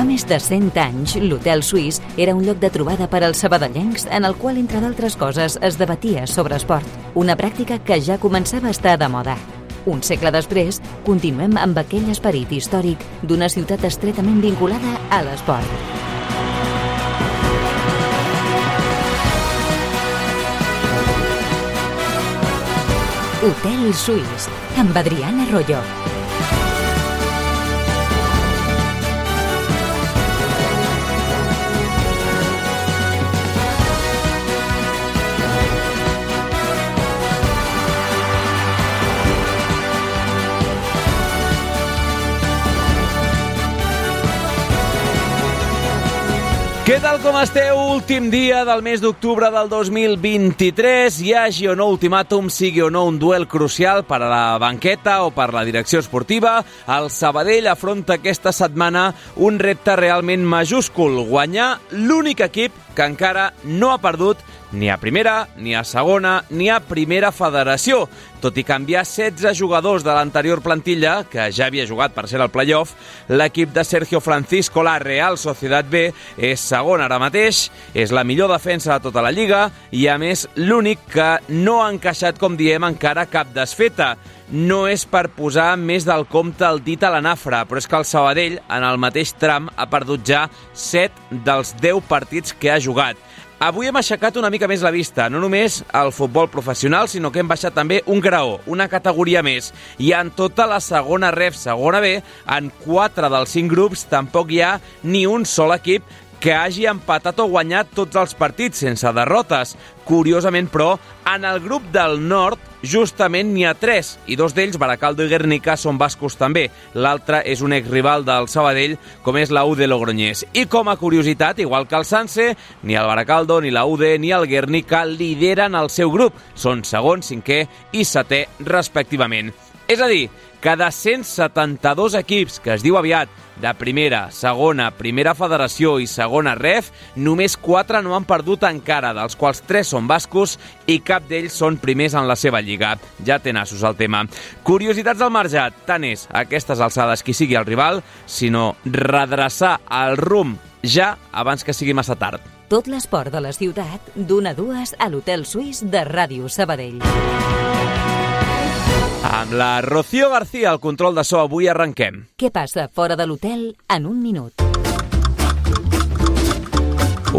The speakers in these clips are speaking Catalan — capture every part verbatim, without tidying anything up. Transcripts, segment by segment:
més de cent anys, l'Hotel Suís era un lloc de trobada per als sabadellencs en el qual, entre d'altres coses, es debatia sobre esport, una pràctica que ja començava a estar de moda. Un segle després, continuem amb aquell esperit històric d'una ciutat estretament vinculada a l'esport. Hotel Suís, amb Adriana Arroyo. Què tal com esteu? Últim dia del mes d'octubre del dos mil vint-i-tres. Hi hagi o no ultimàtum, sigui o no un duel crucial per a la banqueta o per la direcció esportiva, el Sabadell afronta aquesta setmana un repte realment majúscul: guanyar l'únic equip que encara no ha perdut ni a primera, ni a segona, ni a primera federació. Tot i canviar setze jugadors de l'anterior plantilla, que ja havia jugat per ser al play-off, l'equip de Sergio Francisco, la Real Sociedad B, és segon ara mateix, és la millor defensa de tota la Lliga i, a més, l'únic que no ha encaixat, com diem, encara cap desfeta. No és per posar més del compte el dit a la nafra, però és que el Sabadell, en el mateix tram, ha perdut ja set dels deu partits que ha jugat. Avui hem aixecat una mica més la vista, no només al futbol professional, sinó que hem baixat també un graó, una categoria més. I en tota la segona ref, segona B, en quatre dels cinc grups tampoc hi ha ni un sol equip que hagi empatat o guanyat tots els partits sense derrotes. Curiosament, però, en el grup del nord justament n'hi ha tres, i dos d'ells, Baracaldo i Guernica, són bascos també. L'altre és un exrival del Sabadell, com és la U D Logroñés. I com a curiositat, igual que el Sanse, ni el Baracaldo, ni la U D, ni el Guernica lideren el seu grup. Són segon, cinquè i setè, respectivament. És a dir, que de cent setanta-dos equips, que es diu aviat, de primera, segona, primera federació i segona ref, només quatre no han perdut encara, dels quals tres són bascos i cap d'ells són primers en la seva lliga. Ja té nassos el tema. Curiositats del marge, tant és a aquestes alçades qui sigui el rival, sinó redreçar el rumb ja abans que sigui massa tard. Tot l'esport de la ciutat, d'una a dues a l'Hotel Suís de Ràdio Sabadell. Amb la Rocío García al control de so, avui arrenquem. Què passa fora de l'hotel en un minut?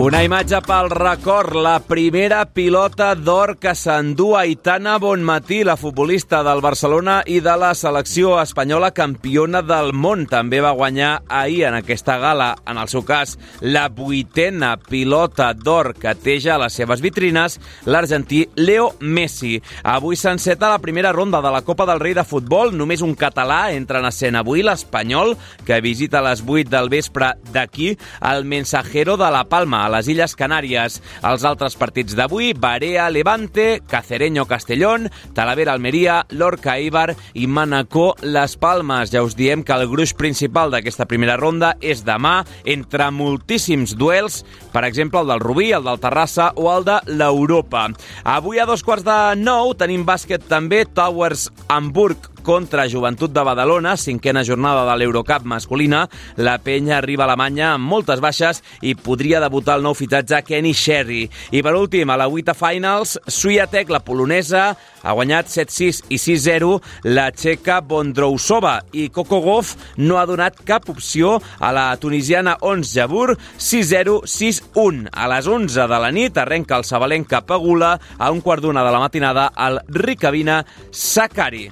Una imatge pel record, la primera pilota d'or que s'endú Aitana Bonmatí, la futbolista del Barcelona i de la selecció espanyola campiona del món. També va guanyar ahir en aquesta gala, en el seu cas, la vuitena pilota d'or que té ja a les seves vitrines, l'argentí Leo Messi. Avui s'enceta la primera ronda de la Copa del Rei de futbol. Només un català entra en escena avui, l'Espanyol, que visita a les vuit del vespre d'aquí el Mensajero de la Palma, a les Illes Canàries. Els altres partits d'avui: Barea Levante, Cacereño Castellón, Talavera Almeria, Lorca Eibar i Manacor Las Palmes. Ja us diem que el gruix principal d'aquesta primera ronda és demà, entre moltíssims duels, per exemple el del Rubí, el del Terrassa o el de l'Europa. Avui a dos quarts de nou tenim bàsquet també, Towers Hamburg contra Joventut de Badalona, cinquena jornada de l'Eurocup masculina. La penya arriba a Alemanya amb moltes baixes i podria debutar el nou fitatge Kenny Sherry. I per últim, a la Wita Finals, Swiatek, la polonesa, ha guanyat set sis i sis zero la txeca Bondrousova i Coco Gauff no ha donat cap opció a la tunisiana Ons Jabeur, sis zero sis un. A les onze de la nit arrenca el sabalenc cap a Gula, a un quart d'una de la matinada al Ricabina Sakari.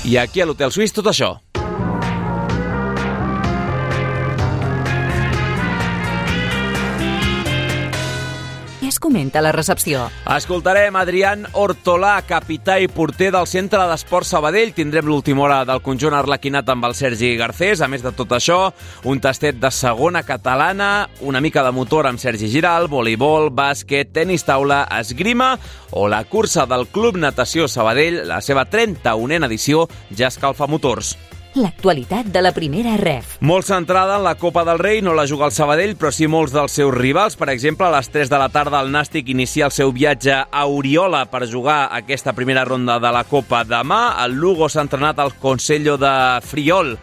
I aquí a l'Hotel Suís tot això. Què es comenta a la recepció? Escoltarem Adrián Hortolà, capità i porter del Centre d'Esports Sabadell. Tindrem l'última hora del conjunt arlequinat amb el Sergi Garcés. A més de tot això, un tastet de segona catalana, una mica de motor amb Sergi Giral, voleibol, bàsquet, tenis taula, esgrima o la cursa del Club Natació Sabadell. La seva trenta-unena edició ja escalfa motors. l'actualitat de la primera ref. Molt centrada en la Copa del Rei, no la juga el Sabadell, però sí molts dels seus rivals. Per exemple, a les tres de la tarda el Nàstic inicia el seu viatge a Oriola per jugar aquesta primera ronda de la Copa demà. El Lugo s'ha entrenat al Consello de Friol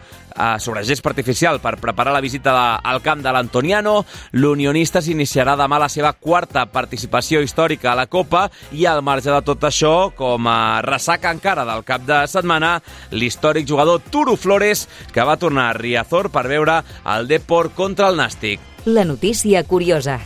sobre gespa artificial per preparar la visita al camp de l'Antoniano. L'Unionista s'iniciarà demà la seva quarta participació històrica a la Copa i al marge de tot això, com a ressaca encara del cap de setmana, l'històric jugador Turu Flores, que va tornar a Riazor per veure el Depor contra el Nàstic. La notícia curiosa.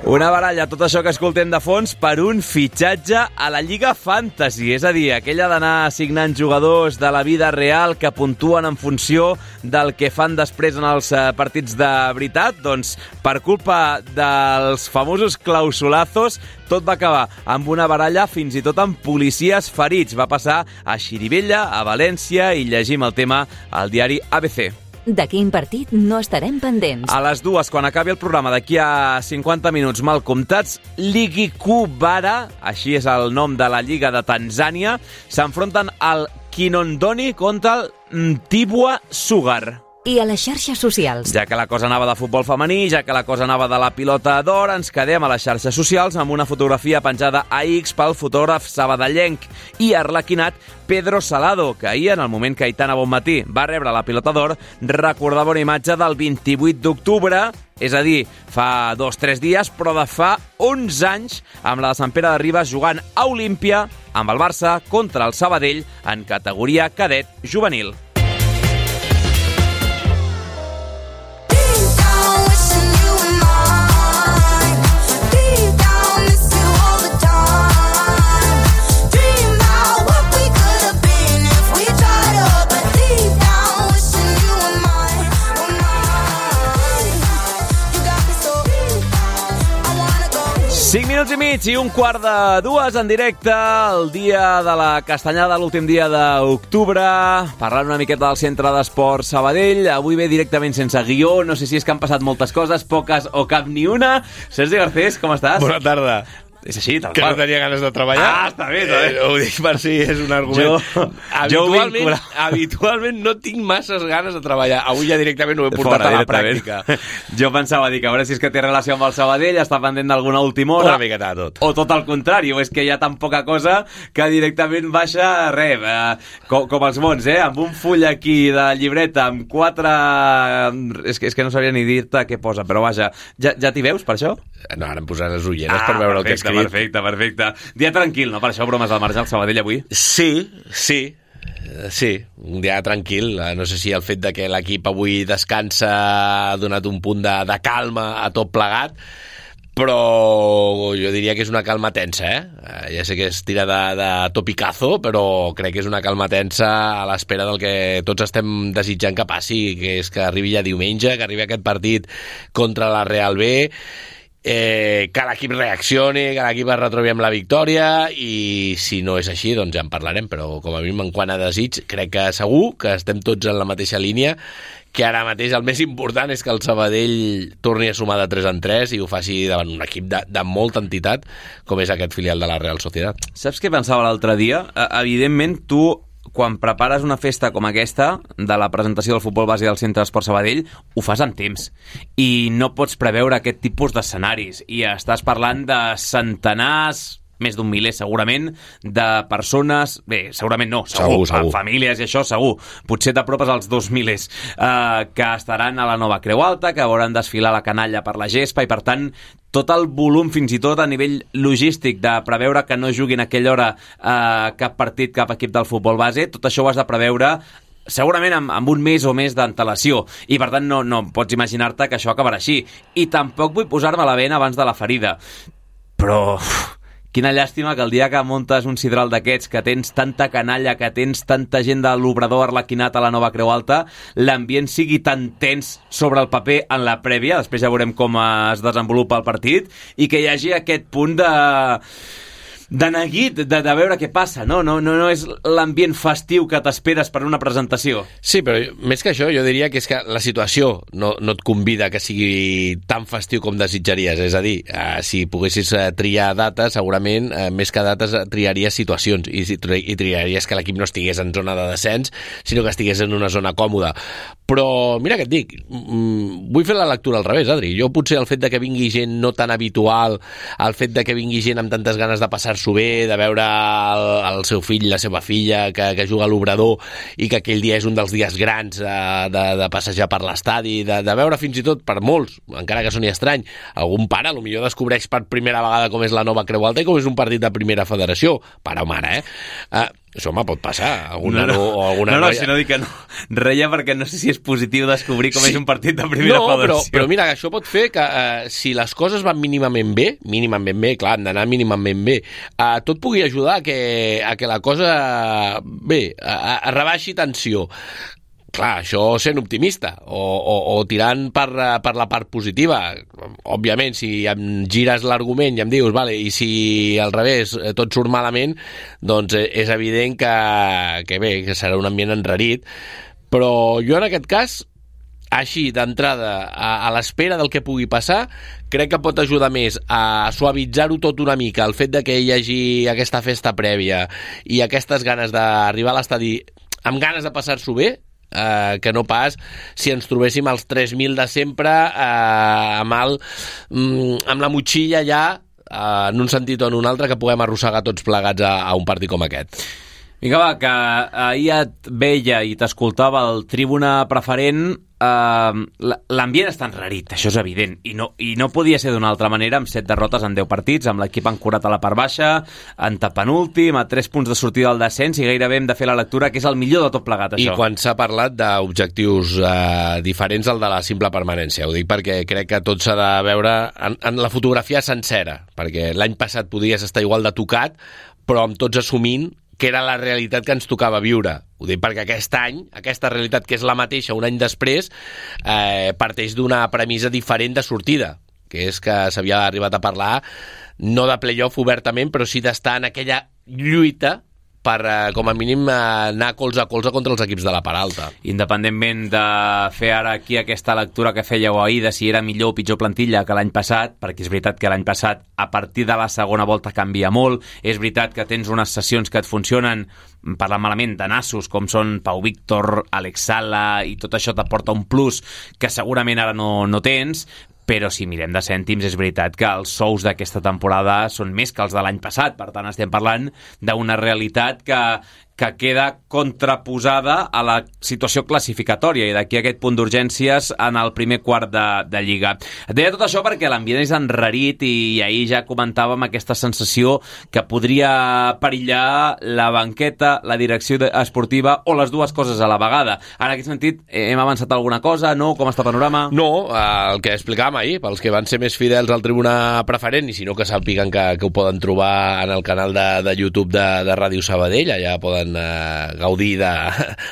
Una baralla, tot això que escoltem de fons, per un fitxatge a la Lliga Fantasy, és a dir, aquella d'anar assignant jugadors de la vida real que puntuen en funció del que fan després en els partits de veritat. Doncs, per culpa dels famosos clausulazos, tot va acabar amb una baralla fins i tot amb policies ferits. Va passar a Xirivella, a València, i llegim el tema al diari A B C. De quin partit no estarem pendents? A les dues, quan acabi el programa, d'aquí a cinquanta minuts mal comptats, Ligikubara, així és el nom de la Lliga de Tanzània, s'enfronten al Kinondoni contra el Mtibwa Sugar. I a les xarxes socials? Ja que la cosa anava de futbol femení, ja que la cosa anava de la pilota d'or, ens quedem a les xarxes socials amb una fotografia penjada a X pel fotògraf sabadellenc i arlequinat Pedro Salado, que ahir, en el moment que Aitana Bonmatí va rebre la pilota d'or, recordava una imatge del vint-i-vuit d'octubre, és a dir, fa dos o tres dies, però de fa onze anys, amb la de Sant Pere de Ribes jugant a Olímpia amb el Barça contra el Sabadell en categoria cadet juvenil. cinc minuts i mig i un quart de dues en directe, el dia de la castanyada, l'últim dia d'octubre, parlant una miqueta del Centre d'Esport Sabadell. Avui ve directament sense guió, no sé si és que han passat moltes coses, poques o cap ni una. Sergi Garcés, com estàs? Bona tarda. És així, tal que qual. Que no tenia ganes de treballar. Ah, està bé, està bé. Eh, ho dic per si és un argument. Jo, habitualment, jo habitualment no tinc masses ganes de treballar. Avui ja directament ho he portat Fora, a la pràctica. Jo pensava dir que a veure si és que té relació amb el Sabadell, està pendent d'alguna última hora. Una miqueta de tot. O tot el contrari, o és que hi ha tan poca cosa que directament baixa res, eh, com, com els mons, eh? Amb un full aquí de llibreta, amb quatre... És que, és que no sabria ni dir-te què posa, però vaja, ja, ja t'hi veus per això? No, ara em posaré les ulleres ah, per veure perfecte, el que he escrit. Perfecte, perfecte. Dia tranquil, no? Per això bromes al marge al Sabadell avui? Sí, sí. Sí, un dia tranquil. No sé si el fet de que l'equip avui descansa ha donat un punt de, de calma a tot plegat, però jo diria que és una calma tensa, eh? Ja sé que es tira de, de topicazo, però crec que és una calma tensa a l'espera del que tots estem desitjant que passi, que és que arribi ja diumenge, que arribi aquest partit contra la Real B, Eh, que l'equip reaccioni, que l'equip es retrobi amb la victòria, i si no és així, doncs ja en parlarem, però com a mínim en quant a desig, crec que segur que estem tots en la mateixa línia, que ara mateix el més important és que el Sabadell torni a sumar de tres en tres i ho faci davant un equip de, de molta entitat, com és aquest filial de la Real Sociedad. Saps què pensava l'altre dia? Evidentment, tu, quan prepares una festa com aquesta, de la presentació del futbol base del Centre d'Esport Sabadell, ho fas amb temps. I no pots preveure aquest tipus d'escenaris. I estàs parlant de centenars, més d'un miler segurament, de persones... Bé, segurament no, segur, segur, segur. Famílies i això, segur. Potser t'apropes als dos milers, eh, que estaran a la nova Creu Alta, que veuran desfilar la canalla per la gespa, i per tant tot el volum, fins i tot a nivell logístic, de preveure que no juguin a aquella hora eh, cap partit, cap equip del futbol base, tot això ho has de preveure segurament amb, amb un mes o més d'antelació, i per tant no, no pots imaginar-te que això acabarà així. I tampoc vull posar-me la bena abans de la ferida, però uf, quina llàstima que el dia que muntes un sidral d'aquests, que tens tanta canalla, que tens tanta gent de l'Obrador arlequinat a la nova Creu Alta, l'ambient sigui tan tens sobre el paper en la prèvia, després ja veurem com es desenvolupa el partit, i que hi hagi aquest punt de... de neguit, de, de veure què passa, no? No, no, no és l'ambient festiu que t'esperes per una presentació. Sí, però més que això, jo diria que és que la situació no, no et convida que sigui tan festiu com desitjaries. És a dir, eh, si poguessis eh, triar dates, segurament, eh, més que dates, triaries situacions i, i triaries que l'equip no estigués en zona de descens, sinó que estigués en una zona còmoda. Però, mira què et dic, mm, vull fer la lectura al revés, Adri. Jo potser el fet de que vingui gent no tan habitual, el fet de que vingui gent amb tantes ganes de passar-s'ho bé, de veure el, el seu fill, la seva filla, que, que juga a l'Obrador i que aquell dia és un dels dies grans eh, de, de passejar per l'estadi, de, de veure fins i tot per molts, encara que soni estrany, algun pare potser descobreix per primera vegada com és la nova Creu Alta i com és un partit de primera federació, pare o mare, eh? Uh, això me pot passar. Alguna no, no. O alguna no, no, noia... si no dic que no. Reia perquè no sé si és positiu descobrir com sí. és un partit de primera no, federació. Però, però mira, això pot fer que uh, si les coses van mínimament bé, mínimament bé, clar, han d'anar mínimament bé, uh, tot pugui ajudar a que, a que la cosa, bé, a, a rebaixi tensió. Clar, això sent optimista o, o, o tirant per, per la part positiva. Òbviament, si em gires l'argument i em dius, vale, i si al revés tot surt malament, doncs és evident que, que bé, que serà un ambient enrarit. Però jo en aquest cas, així d'entrada, a, a l'espera del que pugui passar, crec que pot ajudar més a suavitzar-ho tot una mica, el fet de que hi hagi aquesta festa prèvia i aquestes ganes d'arribar a l'estadi amb ganes de passar-s'ho bé, Uh, que no pas si ens trobéssim als tres mil de sempre uh, amb, el, um, amb la motxilla ja uh, en un sentit o en un altre que puguem arrossegar tots plegats a, a un partit com aquest. Vinga, va, que ahir et veia i t'escoltava el Tribuna Preferent, eh, l'ambient està enrarit, això és evident, i no, i no podia ser d'una altra manera amb set derrotes en deu partits, amb l'equip ancorat a la part baixa, en tapenúltim, a tres punts de sortida del descens, i gairebé hem de fer la lectura que és el millor de tot plegat, això. I quan s'ha parlat d'objectius eh, diferents al de la simple permanència, ho dic perquè crec que tot s'ha de veure en, en la fotografia sencera, perquè l'any passat podies estar igual de tocat, però amb tots assumint que era la realitat que ens tocava viure. Ho dic perquè aquest any, aquesta realitat que és la mateixa un any després, eh, parteix d'una premissa diferent de sortida, que és que s'havia arribat a parlar no de play-off obertament, però sí d'estar en aquella lluita per, eh, com a mínim, eh, anar colze a colze contra els equips de la part alta. Independentment de fer ara aquí aquesta lectura que fèieu ahir de si era millor o pitjor plantilla que l'any passat, perquè és veritat que l'any passat a partir de la segona volta canvia molt, és veritat que tens unes sessions que et funcionen, parlant malament, de nassos, com són Pau Víctor, Alex Sala, i tot això t'aporta un plus que segurament ara no, no tens, però si mirem de cèntims és veritat que els sous d'aquesta temporada són més que els de l'any passat, per tant estem parlant d'una realitat que, que queda contraposada a la situació classificatòria i d'aquí aquest punt d'urgències en el primer quart de, de Lliga. Et deia tot això perquè l'ambient és enrarit i ahir ja comentàvem aquesta sensació que podria perillar la banqueta, la direcció esportiva o les dues coses a la vegada. En aquest sentit, hem avançat alguna cosa? No? Com està el panorama? No, el que explicàvem ahir, pels que van ser més fidels al Tribuna Preferent i si no que sàpiguen que, que ho poden trobar en el canal de, de YouTube de, de Ràdio Sabadell, allà poden Uh, gaudir de,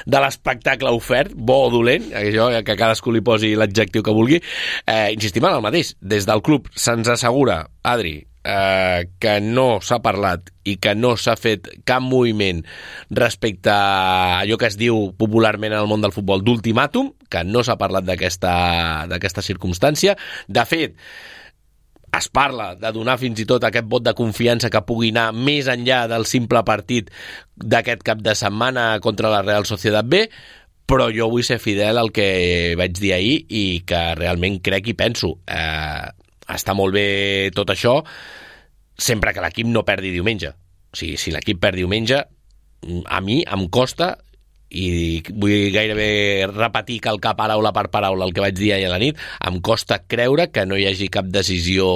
de l'espectacle ofert, bo o dolent, això, que cadascú li posi l'adjectiu que vulgui. Uh, insistim en el mateix, des del club se'ns assegura, Adri, uh, que no s'ha parlat i que no s'ha fet cap moviment respecte a allò que es diu popularment en el món del futbol d'ultimàtum, que no s'ha parlat d'aquesta d'aquesta circumstància. De fet, es parla de donar fins i tot aquest vot de confiança que pugui anar més enllà del simple partit d'aquest cap de setmana contra la Real Sociedad B, però jo vull ser fidel al que vaig dir ahir i que realment crec i penso. Eh, està molt bé tot això sempre que l'equip no perdi diumenge. O sigui, si l'equip perd diumenge, a mi em costa, i vull gairebé repetir, calcar paraula per paraula el que vaig dir ahir a la nit, em costa creure que no hi hagi cap decisió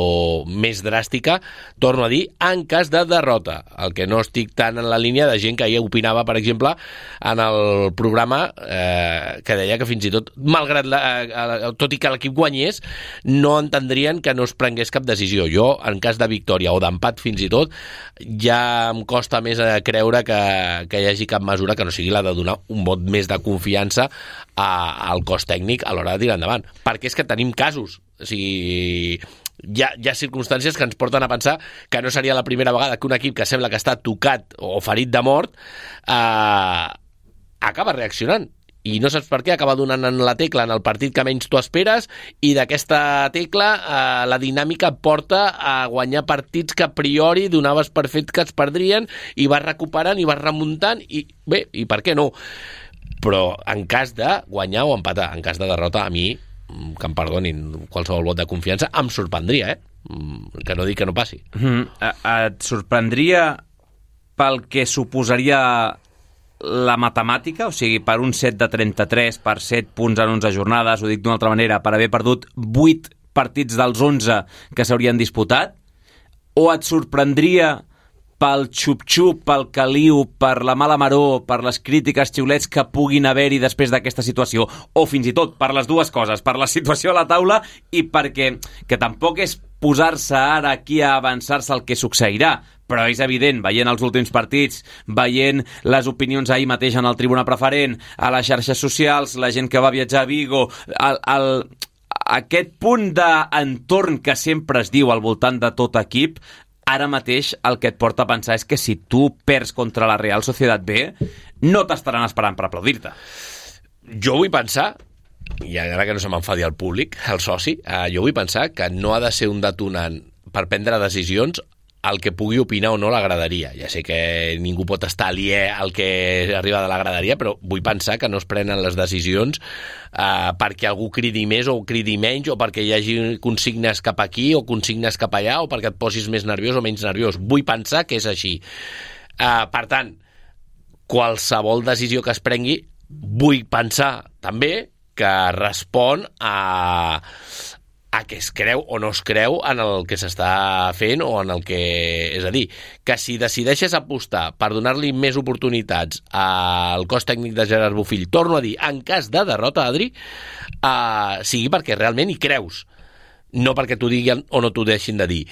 més dràstica, torno a dir, en cas de derrota. El que no estic tan en la línia de gent que ahir opinava, per exemple, en el programa, eh, que deia que fins i tot, malgrat la, eh, tot i que l'equip guanyés, no entendrien que no es prengués cap decisió. Jo, en cas de victòria o d'empat fins i tot, ja em costa més creure que, que hi hagi cap mesura que no sigui la de donar un vot més de confiança a, al cos tècnic a l'hora de tirar endavant. Perquè és que tenim casos. O sigui, hi ha, hi ha circumstàncies que ens porten a pensar que no seria la primera vegada que un equip que sembla que està tocat o ferit de mort eh, acaba reaccionant. I no saps per què acaba donant en la tecla en el partit que menys tu esperes, i d'aquesta tecla eh, la dinàmica et porta a guanyar partits que a priori donaves per fet que es perdrien, i vas recuperant i vas remuntant, i bé, i per què no? Però en cas de guanyar o empatar, en cas de derrota, a mi, que em perdonin qualsevol vot de confiança, em sorprendria, eh? Que no dic que no passi. Mm-hmm. Et sorprendria pel que suposaria la matemàtica, o sigui, per un set de trenta-tres, per set punts en onze jornades, ho dic d'una altra manera, per haver perdut vuit partits dels onze que s'haurien disputat? O et sorprendria pel xup-xup, pel caliu, per la mala maror, per les crítiques, xiulets que puguin haver-hi després d'aquesta situació? O fins i tot per les dues coses, per la situació a la taula i perquè, que tampoc és posar-se ara aquí a avançar-se el que succeirà, però és evident, veient els últims partits, veient les opinions ahir mateix en el Tribuna Preferent, a les xarxes socials, la gent que va viatjar a Vigo, el, el, aquest punt d'entorn que sempre es diu al voltant de tot equip, ara mateix el que et porta a pensar és que si tu perds contra la Real Sociedad B, no t'estaran esperant per aplaudir-te. Jo vull pensar, i ara que no se m'enfadi el públic, el soci, eh, jo vull pensar que no ha de ser un detonant per prendre decisions el que pugui opinar o no la graderia. Ja sé que ningú pot estar aliè al que arriba de la graderia, però vull pensar que no es prenen les decisions eh, perquè algú cridi més o cridi menys, o perquè hi hagi consignes cap aquí o consignes cap allà, o perquè et posis més nerviós o menys nerviós. Vull pensar que és així. Eh, per tant, qualsevol decisió que es prengui, vull pensar també que respon a... a que es creu o no es creu en el que s'està fent o en el que... És a dir, que si decideixes apostar per donar-li més oportunitats al cos tècnic de Gerard Bofill, torno a dir, en cas de derrota, Adri, eh, sigui perquè realment hi creus, no perquè t'ho diguin o no t'ho deixin de dir.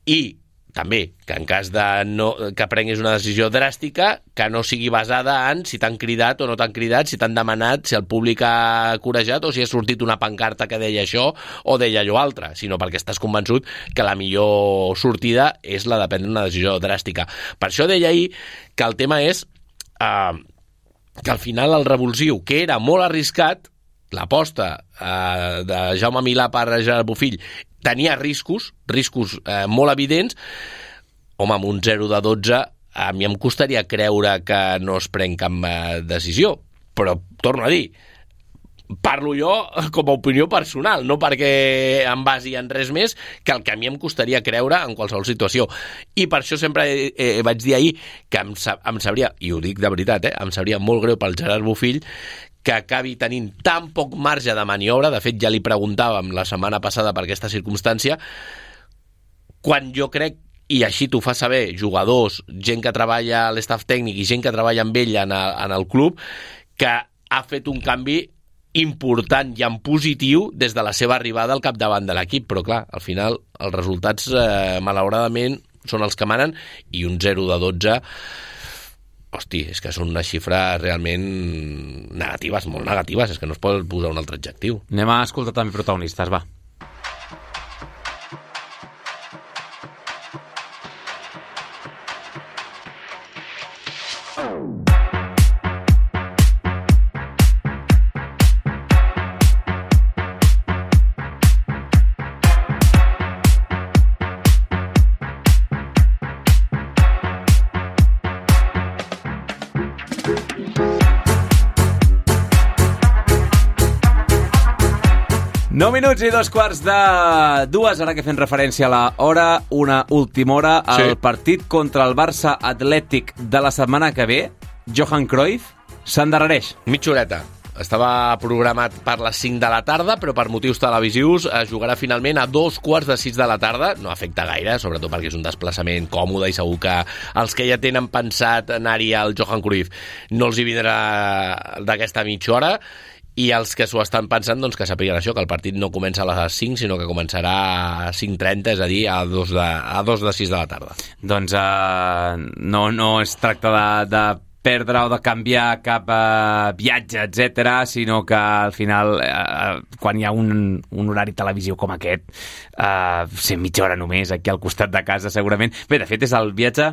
I també, que en cas de no, que prenguis una decisió dràstica, que no sigui basada en si t'han cridat o no t'han cridat, si t'han demanat, si el públic ha corejat o si ha sortit una pancarta que deia això o deia allò altre, sinó perquè estàs convençut que la millor sortida és la de prendre una decisió dràstica. Per això deia ahir que el tema és eh, que al final el revulsiu, que era molt arriscat, l'aposta eh, de Jaume Milà per Gerard Bofill, tenia riscos, riscos eh, molt evidents. Home, amb un zero de dotze a mi em costaria creure que no es pren cap eh, decisió, però torno a dir, parlo jo com a opinió personal, no perquè em basi en res més que el que a mi em costaria creure en qualsevol situació. I per això sempre eh, eh, vaig dir ahir que em, em sabria, i ho dic de veritat, eh, em sabria molt greu pel Gerard Bofill que acabi tenint tan poc marge de maniobra. De fet, ja li preguntàvem la setmana passada per aquesta circumstància, quan jo crec, i així t'ho fa saber jugadors, gent que treballa a l'estaf tècnic i gent que treballa amb ell en el, en el club, que ha fet un canvi important i en positiu des de la seva arribada al capdavant de l'equip. Però clar, al final els resultats eh, malauradament són els que manen, i un zero de dotze, hosti, és que són unes xifres realment negatives, molt negatives, és que no es pot posar un altre adjectiu. Anem a escoltar també protagonistes, va. nou minuts i dos quarts de dues, ara que fem referència a la hora, una última hora, el sí. Partit contra el Barça Atlètic de la setmana que ve, Johan Cruyff, s'endarrereix. Mitja horeta. Estava programat per les cinc de la tarda, però per motius televisius es jugarà finalment a dos quarts de sis de la tarda. No afecta gaire, sobretot perquè és un desplaçament còmode i segur que els que ja tenen pensat anar-hi al Johan Cruyff no els hi vindrà d'aquesta mitja hora. I els que s'ho estan pensant, doncs que sàpiguen això, que el partit no comença a les cinc, sinó que començarà a cinc trenta, és a dir, a dos de, a dos de sis de la tarda. Doncs uh, no, no es tracta de, de perdre o de canviar cap uh, viatge, etcètera, sinó que al final, uh, quan hi ha un, un horari televisiu com aquest, uh, ser mitja hora només aquí al costat de casa, segurament. Bé, de fet, és el viatge...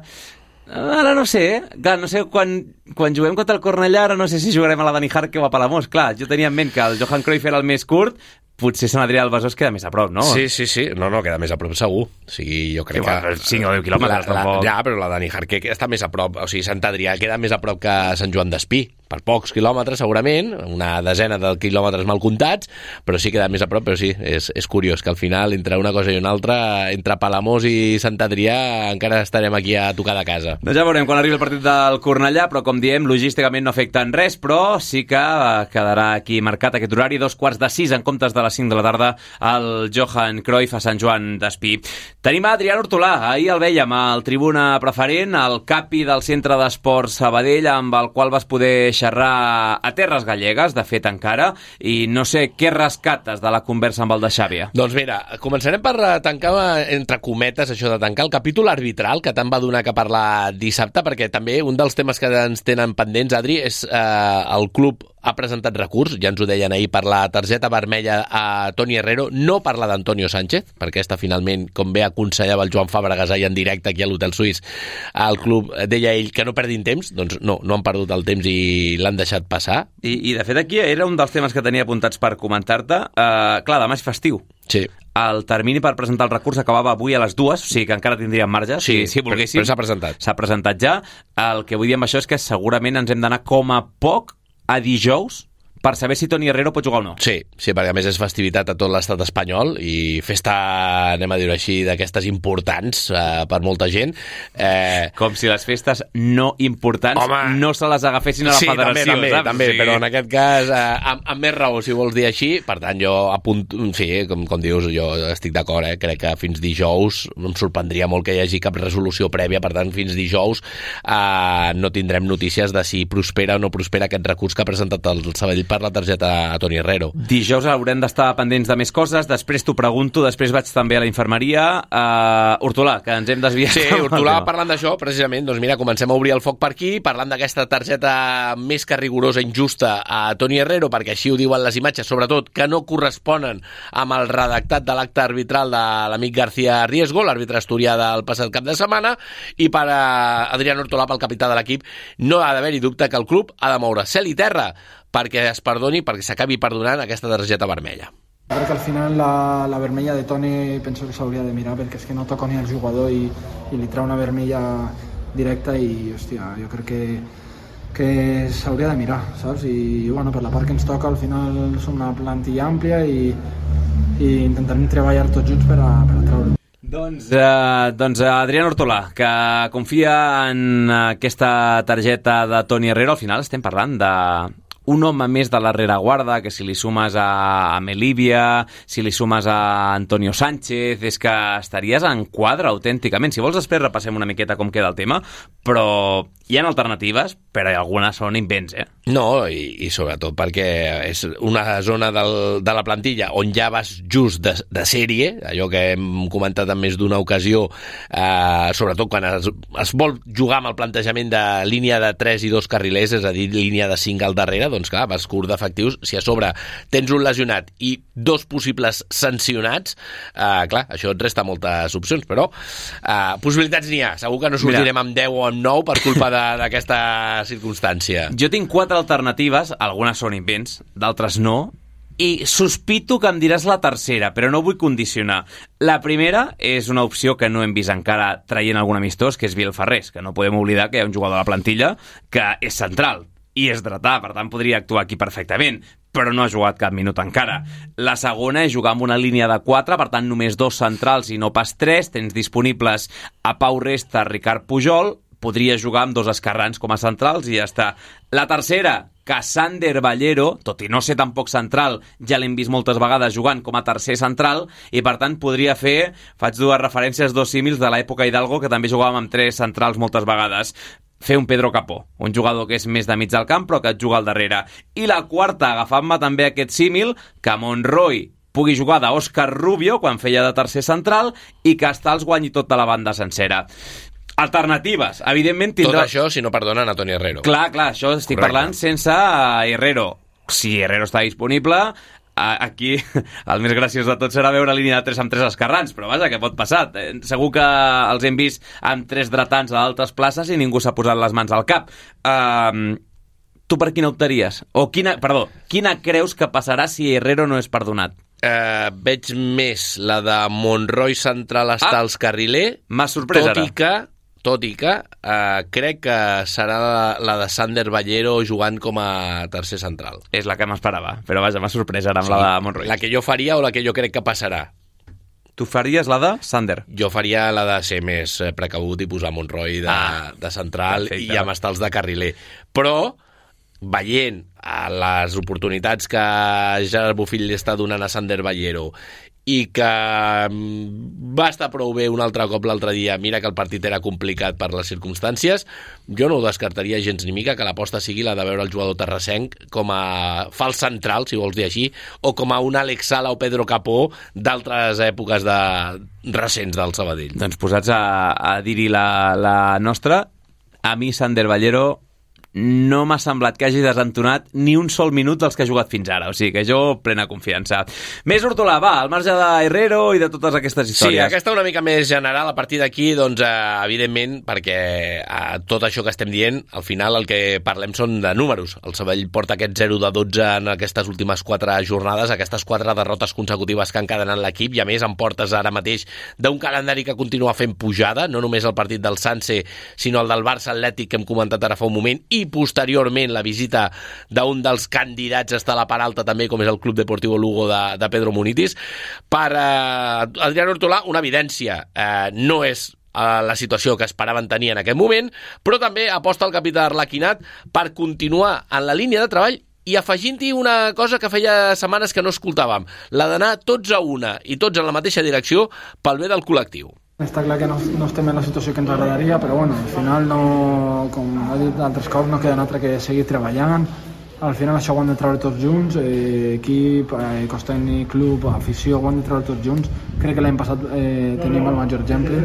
Ara no sé, eh? Clar, no sé, quan, quan juguem contra el Cornellà, ara no sé si jugarem a la Dani Jarque o a Palamós. Clar, jo tenia en ment que el Johan Cruyff era el més curt, potser Sant Adrià del Besòs queda més a prop, no? Sí, sí, sí. No, no, queda més a prop segur. O sigui, jo crec sí, bueno, que... cinc o deu quilòmetres, la, la, tampoc. Ja, però la Dani Jarque està més a prop. O sigui, Sant Adrià queda més a prop que Sant Joan d'Espí. Per pocs quilòmetres, segurament, una desena de quilòmetres mal comptats, però sí queda més a prop, però sí, és, és curiós que al final, entre una cosa i una altra, entre Palamós i Sant Adrià, encara estarem aquí a tocar de casa. Doncs ja veurem quan arribi el partit del Cornellà, però com diem, logísticament no afecta en res, però sí que quedarà aquí marcat aquest horari, dos quarts de sis en comptes de les cinc de la tarda, al Johan Cruyff a Sant Joan d'Espí. Tenim a Adrià Hortolà, ahir el vèiem al tribuna preferent, el capi del Centre d'Esports Sabadell, amb el qual vas poder xerrar a terres gallegues, de fet encara, i no sé què rescates de la conversa amb el de Xàbia. Doncs mira, començarem per tancar, entre cometes, això de tancar el capítol arbitral, que tant va donar que parlar dissabte, perquè també un dels temes que ens tenen pendents, Adri, és eh, el club ha presentat recurs, ja ens ho deien ahir, per la targeta vermella a Toni Herrero, no per la d'Antonio Sánchez, perquè aquesta finalment, com bé aconsellava el Joan Fàbregas ahir en directe aquí a l'Hotel Suís, el club deia ell que no perdin temps, doncs no, no han perdut el temps i l'han deixat passar. I, i de fet aquí era un dels temes que tenia apuntats per comentar-te. Uh, clar, demà és festiu. Sí. El termini per presentar el recurs acabava avui a les dues, o sigui que encara tindríem marge, sí, si, si volguéssim. Però s'ha presentat. S'ha presentat ja. El que vull dir amb això és que segurament ens hem d'anar com a poc a dijous per saber si Toni Herrero pot jugar o no. Sí, sí, perquè a més és festivitat a tot l'estat espanyol i festa, anem a dir-ho així, d'aquestes importants eh, per molta gent. Eh... Com si les festes no importants Home... no se les agafessin a la sí, federació. Sí, també, saps? també, sí. Però en aquest cas, eh, amb, amb més raó, si vols dir així, per tant, jo apunto, sí, com, com dius, jo estic d'acord, eh? Crec que fins dijous em sorprendria molt que hi hagi cap resolució prèvia, per tant, fins dijous eh, no tindrem notícies de si prospera o no prospera aquest recurs que ha presentat el Sabadell per la targeta a Toni Herrero. Dijous haurem d'estar pendents de més coses, després t'ho pregunto, després vaig també a la infermeria. Uh, Hortolà, que ens hem desviat. Sí, Hortolà, parlant d'això, precisament, doncs mira, comencem a obrir el foc per aquí, parlant d'aquesta targeta més que rigorosa, injusta a Toni Herrero, perquè així ho diuen les imatges, sobretot que no corresponen amb el redactat de l'acte arbitral de l'amic García Riesgo, l'àrbitre asturià del passat cap de setmana, i per a Adrián Hortolà, pel capità de l'equip, no ha d'haver-hi dubte que el club ha de moure cel i terra perquè es perdoni, perquè s'acabi perdonant aquesta targeta vermella. Crec que al final la, la vermella de Toni penso que s'hauria de mirar, perquè és que no toca ni al jugador i, i li treu una vermella directa i, hòstia, jo crec que, que s'hauria de mirar, saps? I, bueno, per la part que ens toca, al final som una plantilla àmplia i, i intentarem treballar tots junts per a, per a treure. Doncs, eh, doncs Adrián Hortolà, que confia en aquesta targeta de Toni Herrero. Al final estem parlant de un home més de la rereguarda, que si li sumes a, a Melívia, si li sumes a Antonio Sánchez, és que estaries en quadre autènticament. Si vols després repassem una miqueta com queda el tema, però hi ha alternatives, però algunes són invents, eh? No, i, i sobretot perquè és una zona del, de la plantilla on ja vas just de, de sèrie, allò que hem comentat en més d'una ocasió, eh, sobretot quan es, es vol jugar amb el plantejament de línia de tres i dos carrilers, és a dir, línia de cinc al darrere, doncs clar, vas curt d'efectius. Si a sobre tens un lesionat i dos possibles sancionats, eh, clar, això et resta moltes opcions, però eh, possibilitats n'hi ha. Segur que no sortirem Mira. amb deu o amb nou per culpa d'aquesta circumstància. Jo tinc quatre alternatives, algunes són invents, d'altres no, i sospito que em diràs la tercera, però no vull condicionar. La primera és una opció que no hem vist encara traient algun amistós, que és Biel Ferrés, que no podem oblidar que hi ha un jugador a la plantilla que és central i és dretà, per tant podria actuar aquí perfectament, però no ha jugat cap minut encara. La segona és jugar amb una línia de quatre, per tant només dos centrals i no pas tres. Tens disponibles a Pau Resta, Ricard Pujol, podria jugar amb dos esquerrans com a centrals i ja està. La tercera, que Sander Ballero, tot i no ser tampoc central, ja l'hem vist moltes vegades jugant com a tercer central, i per tant podria fer, faig dues referències, dos símils de l'època Hidalgo, que també jugàvem amb tres centrals moltes vegades, fer un Pedro Capó, un jugador que és més de mig del camp però que et juga al darrere. I la quarta, agafant-me també aquest símil, que Monroy pugui jugar d'Òscar Rubio quan feia de tercer central i que Stals guanyi tota la banda sencera. alternatives. Evidentment tindrà... Tot això si no perdonen a Toni Herrero. Clar, clar, això estic Correcte. parlant sense Herrero. Si Herrero està disponible, aquí el més graciós de tot serà veure línia de tres amb tres esquerrans, però vaja, què pot passar? Segur que els hem vist amb tres dretans a altres places i ningú s'ha posat les mans al cap. Uh, tu per quina optaries? O quina, perdó, quina creus que passarà si Herrero no és perdonat? Uh, veig més la de Monroy central estar als ah, carriler, m'ha sorprès tot ara. i que, tot i que uh, crec que serà la, la de Sander Ballero jugant com a tercer central. És la que m'esperava, però vaja, m'ha sorprès ara amb sí, la de Monroy. La que jo faria o la que jo crec que passarà. Tu faries la de Sander? Jo faria la de ser més precabut i posar Monroy de, ah, de central perfecte. I amb estals de carriler. Però veient a les oportunitats que Gerard Bofill li està donant a Sander Ballero i que va estar prou bé un altre cop l'altre dia, mira que el partit era complicat per les circumstàncies, jo no ho descartaria gens ni mica que l'aposta sigui la de veure el jugador terrassenc com a fals central, si vols dir així, o com a un Alex Sala o Pedro Capó d'altres èpoques de... recents del Sabadell. Doncs posats a, a dir-hi la, la nostra, a mi Sander Ballero no m'ha semblat que hagi desentonat ni un sol minut dels que ha jugat fins ara, o sigui que jo plena confiança. Més Hortolà, va, al marge de Herrero i de totes aquestes històries. Sí, aquesta una mica més general, a partir d'aquí, doncs, eh, evidentment, perquè eh, tot això que estem dient, al final el que parlem són de números. El Sabadell porta aquest zero de dotze en aquestes últimes quatre jornades, aquestes quatre derrotes consecutives que han encadenat l'equip, i a més en portes ara mateix d'un calendari que continua fent pujada, no només el partit del Sanse, sinó el del Barça Atlètic que hem comentat ara fa un moment, i posteriorment la visita d'un dels candidats a estar a la part alta també, com és el Club Deportivo Lugo de, de Pedro Munitis. Per eh, Adrián Hortolà, una evidència, eh, no és eh, la situació que esperaven tenir en aquest moment, però també aposta el capità Arlequinat per continuar en la línia de treball i afegint-hi una cosa que feia setmanes que no escoltàvem, la d'anar tots a una i tots en la mateixa direcció pel bé del col·lectiu. Està clar que no, no estem en la situació que ens agradaria, però bueno, al final, no, com ha dit d'altres cops, no queda altre que seguir treballant. Al final això ho hem de treure tots junts, eh, equip, eh, cos tècnic, club, afició, ho hem de treure tots junts. Crec que l'any passat eh, tenim el major exemple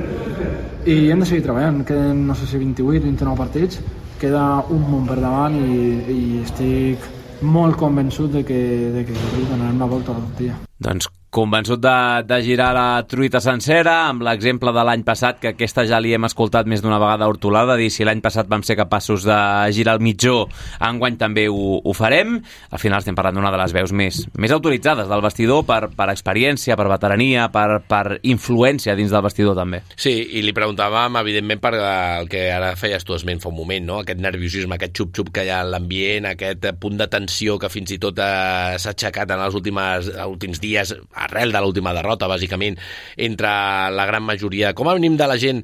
i hem de seguir treballant. Queden, no sé si vint-i-vuit, vint-i-nou partits, queda un munt per davant i, i estic molt convençut de que, de que donarem la volta a la tortilla. Doncs convençut de, de girar la truita sencera, amb l'exemple de l'any passat, que aquesta ja li hem escoltat més d'una vegada a Hortolà, de dir si l'any passat vam ser capaços de girar el mitjó, enguany també ho, ho farem. Al final estem parlant d'una de les veus més, més autoritzades del vestidor per, per experiència, per veterania, per, per influència dins del vestidor també. Sí, i li preguntàvem, evidentment, per el que ara feies tu esment fa un moment, no? Aquest nerviosisme, aquest xup-xup que hi ha en l'ambient, aquest punt de tensió que fins i tot eh, s'ha aixecat en els últims, últims dies, arrel de l'última derrota, bàsicament, entre la gran majoria, com a mínim de la gent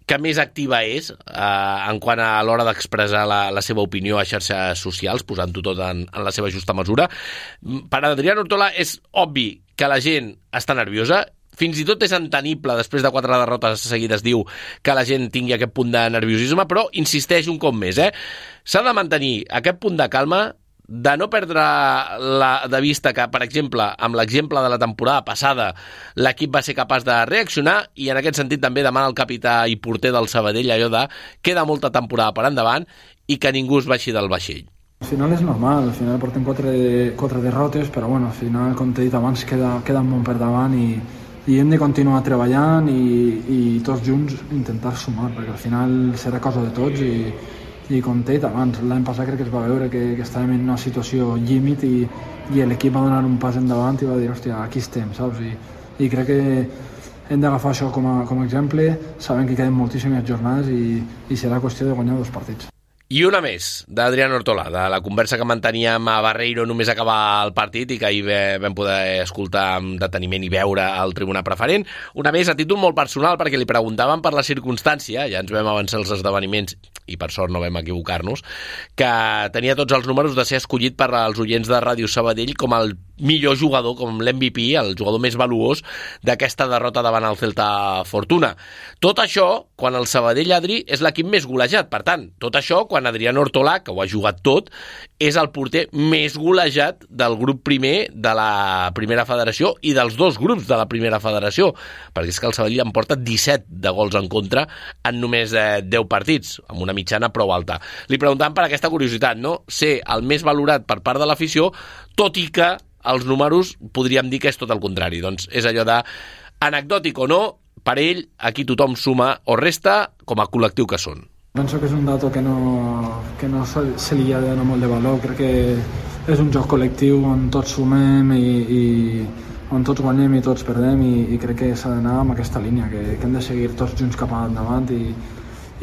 que més activa és eh, en quant a l'hora d'expressar la, la seva opinió a xarxes socials, posant-ho tot en, en la seva justa mesura. Per Adrián Hortolà és obvi que la gent està nerviosa, fins i tot és entenible, després de quatre derrotes seguides, diu que la gent tingui aquest punt de nerviosisme, però insisteix un cop més, eh? S'ha de mantenir aquest punt de calma, de no perdre la, de vista que, per exemple, amb l'exemple de la temporada passada, l'equip va ser capaç de reaccionar, i en aquest sentit també demana al capità i porter del Sabadell allò de queda molta temporada per endavant i que ningú es baixi del vaixell. Al final és normal, al final portem quatre, quatre derrotes, però bueno, al final, com t'he dit abans, queda, queda un munt per davant i, i hem de continuar treballant i, i tots junts intentar sumar, perquè al final serà cosa de tots i i com t'he dit abans, l'any passat crec que es va veure que, que estàvem en una situació límit i, i l'equip va donar un pas endavant i va dir, hòstia, aquí estem, saps? I, i crec que hem d'agafar això com a, com a exemple, sabem que queden moltíssimes jornades i, i serà qüestió de guanyar dos partits. I una més, d'Adrián Hortolà, de la conversa que manteníem a Barreiro només acabar el partit i que ahir vam poder escoltar amb deteniment i veure al tribunal preferent. Una més a títol molt personal, perquè li preguntaven per la circumstància, ja ens vam avançar els esdeveniments i per sort no vam equivocar-nos, que tenia tots els números de ser escollit per als oients de Ràdio Sabadell com el millor jugador, com l'M V P, el jugador més valuós d'aquesta derrota davant el Celta Fortuna. Tot això, quan el Sabadell, Adri, és l'equip més golejat. Per tant, tot això, quan Adrián Ortolà, que ho ha jugat tot, és el porter més golejat del grup primer de la primera federació i dels dos grups de la primera federació, perquè és que el Sabadell en porta disset de gols en contra en només eh, deu partits, amb una mitjana prou alta. Li preguntàvem per aquesta curiositat, no? Ser el més valorat per part de l'afició, tot i que els números podríem dir que és tot el contrari. Doncs és allò de anecdòtic o no, per ell aquí tothom suma o resta com a col·lectiu que són. Penso que és un dato que no, que no se li ha de donar molt de valor. Crec que és un joc col·lectiu on tots sumem i, i on tots guanyem i tots perdem i, i crec que s'ha d'anar amb aquesta línia, que, que hem de seguir tots junts cap endavant i,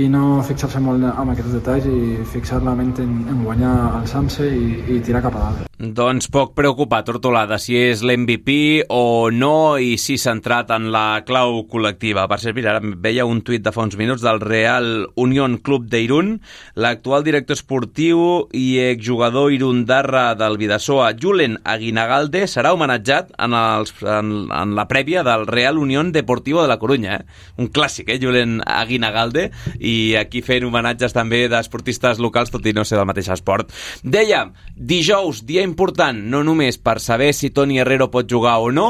i no fixar-se molt en aquests detalls i fixar la ment en, en guanyar, alçar-se i, i tirar cap a dalt. Doncs poc preocupat, Ortolà, de si és l'M V P o no i si centrat en la clau col·lectiva. Per cert, mira, ara veia un tuit de fa uns minuts del Real Unión Club d'Irún. L'actual director esportiu i exjugador irundarra del Bidasoa, Julen Aguinagalde, serà homenatjat en, els, en, en la prèvia del Real Unión Deportivo de la Corunya. Eh? Un clàssic, eh? Julen Aguinagalde, i aquí fent homenatges també d'esportistes locals, tot i no ser del mateix esport. Dèiem, dijous, dia important, no només per saber si Toni Herrero pot jugar o no,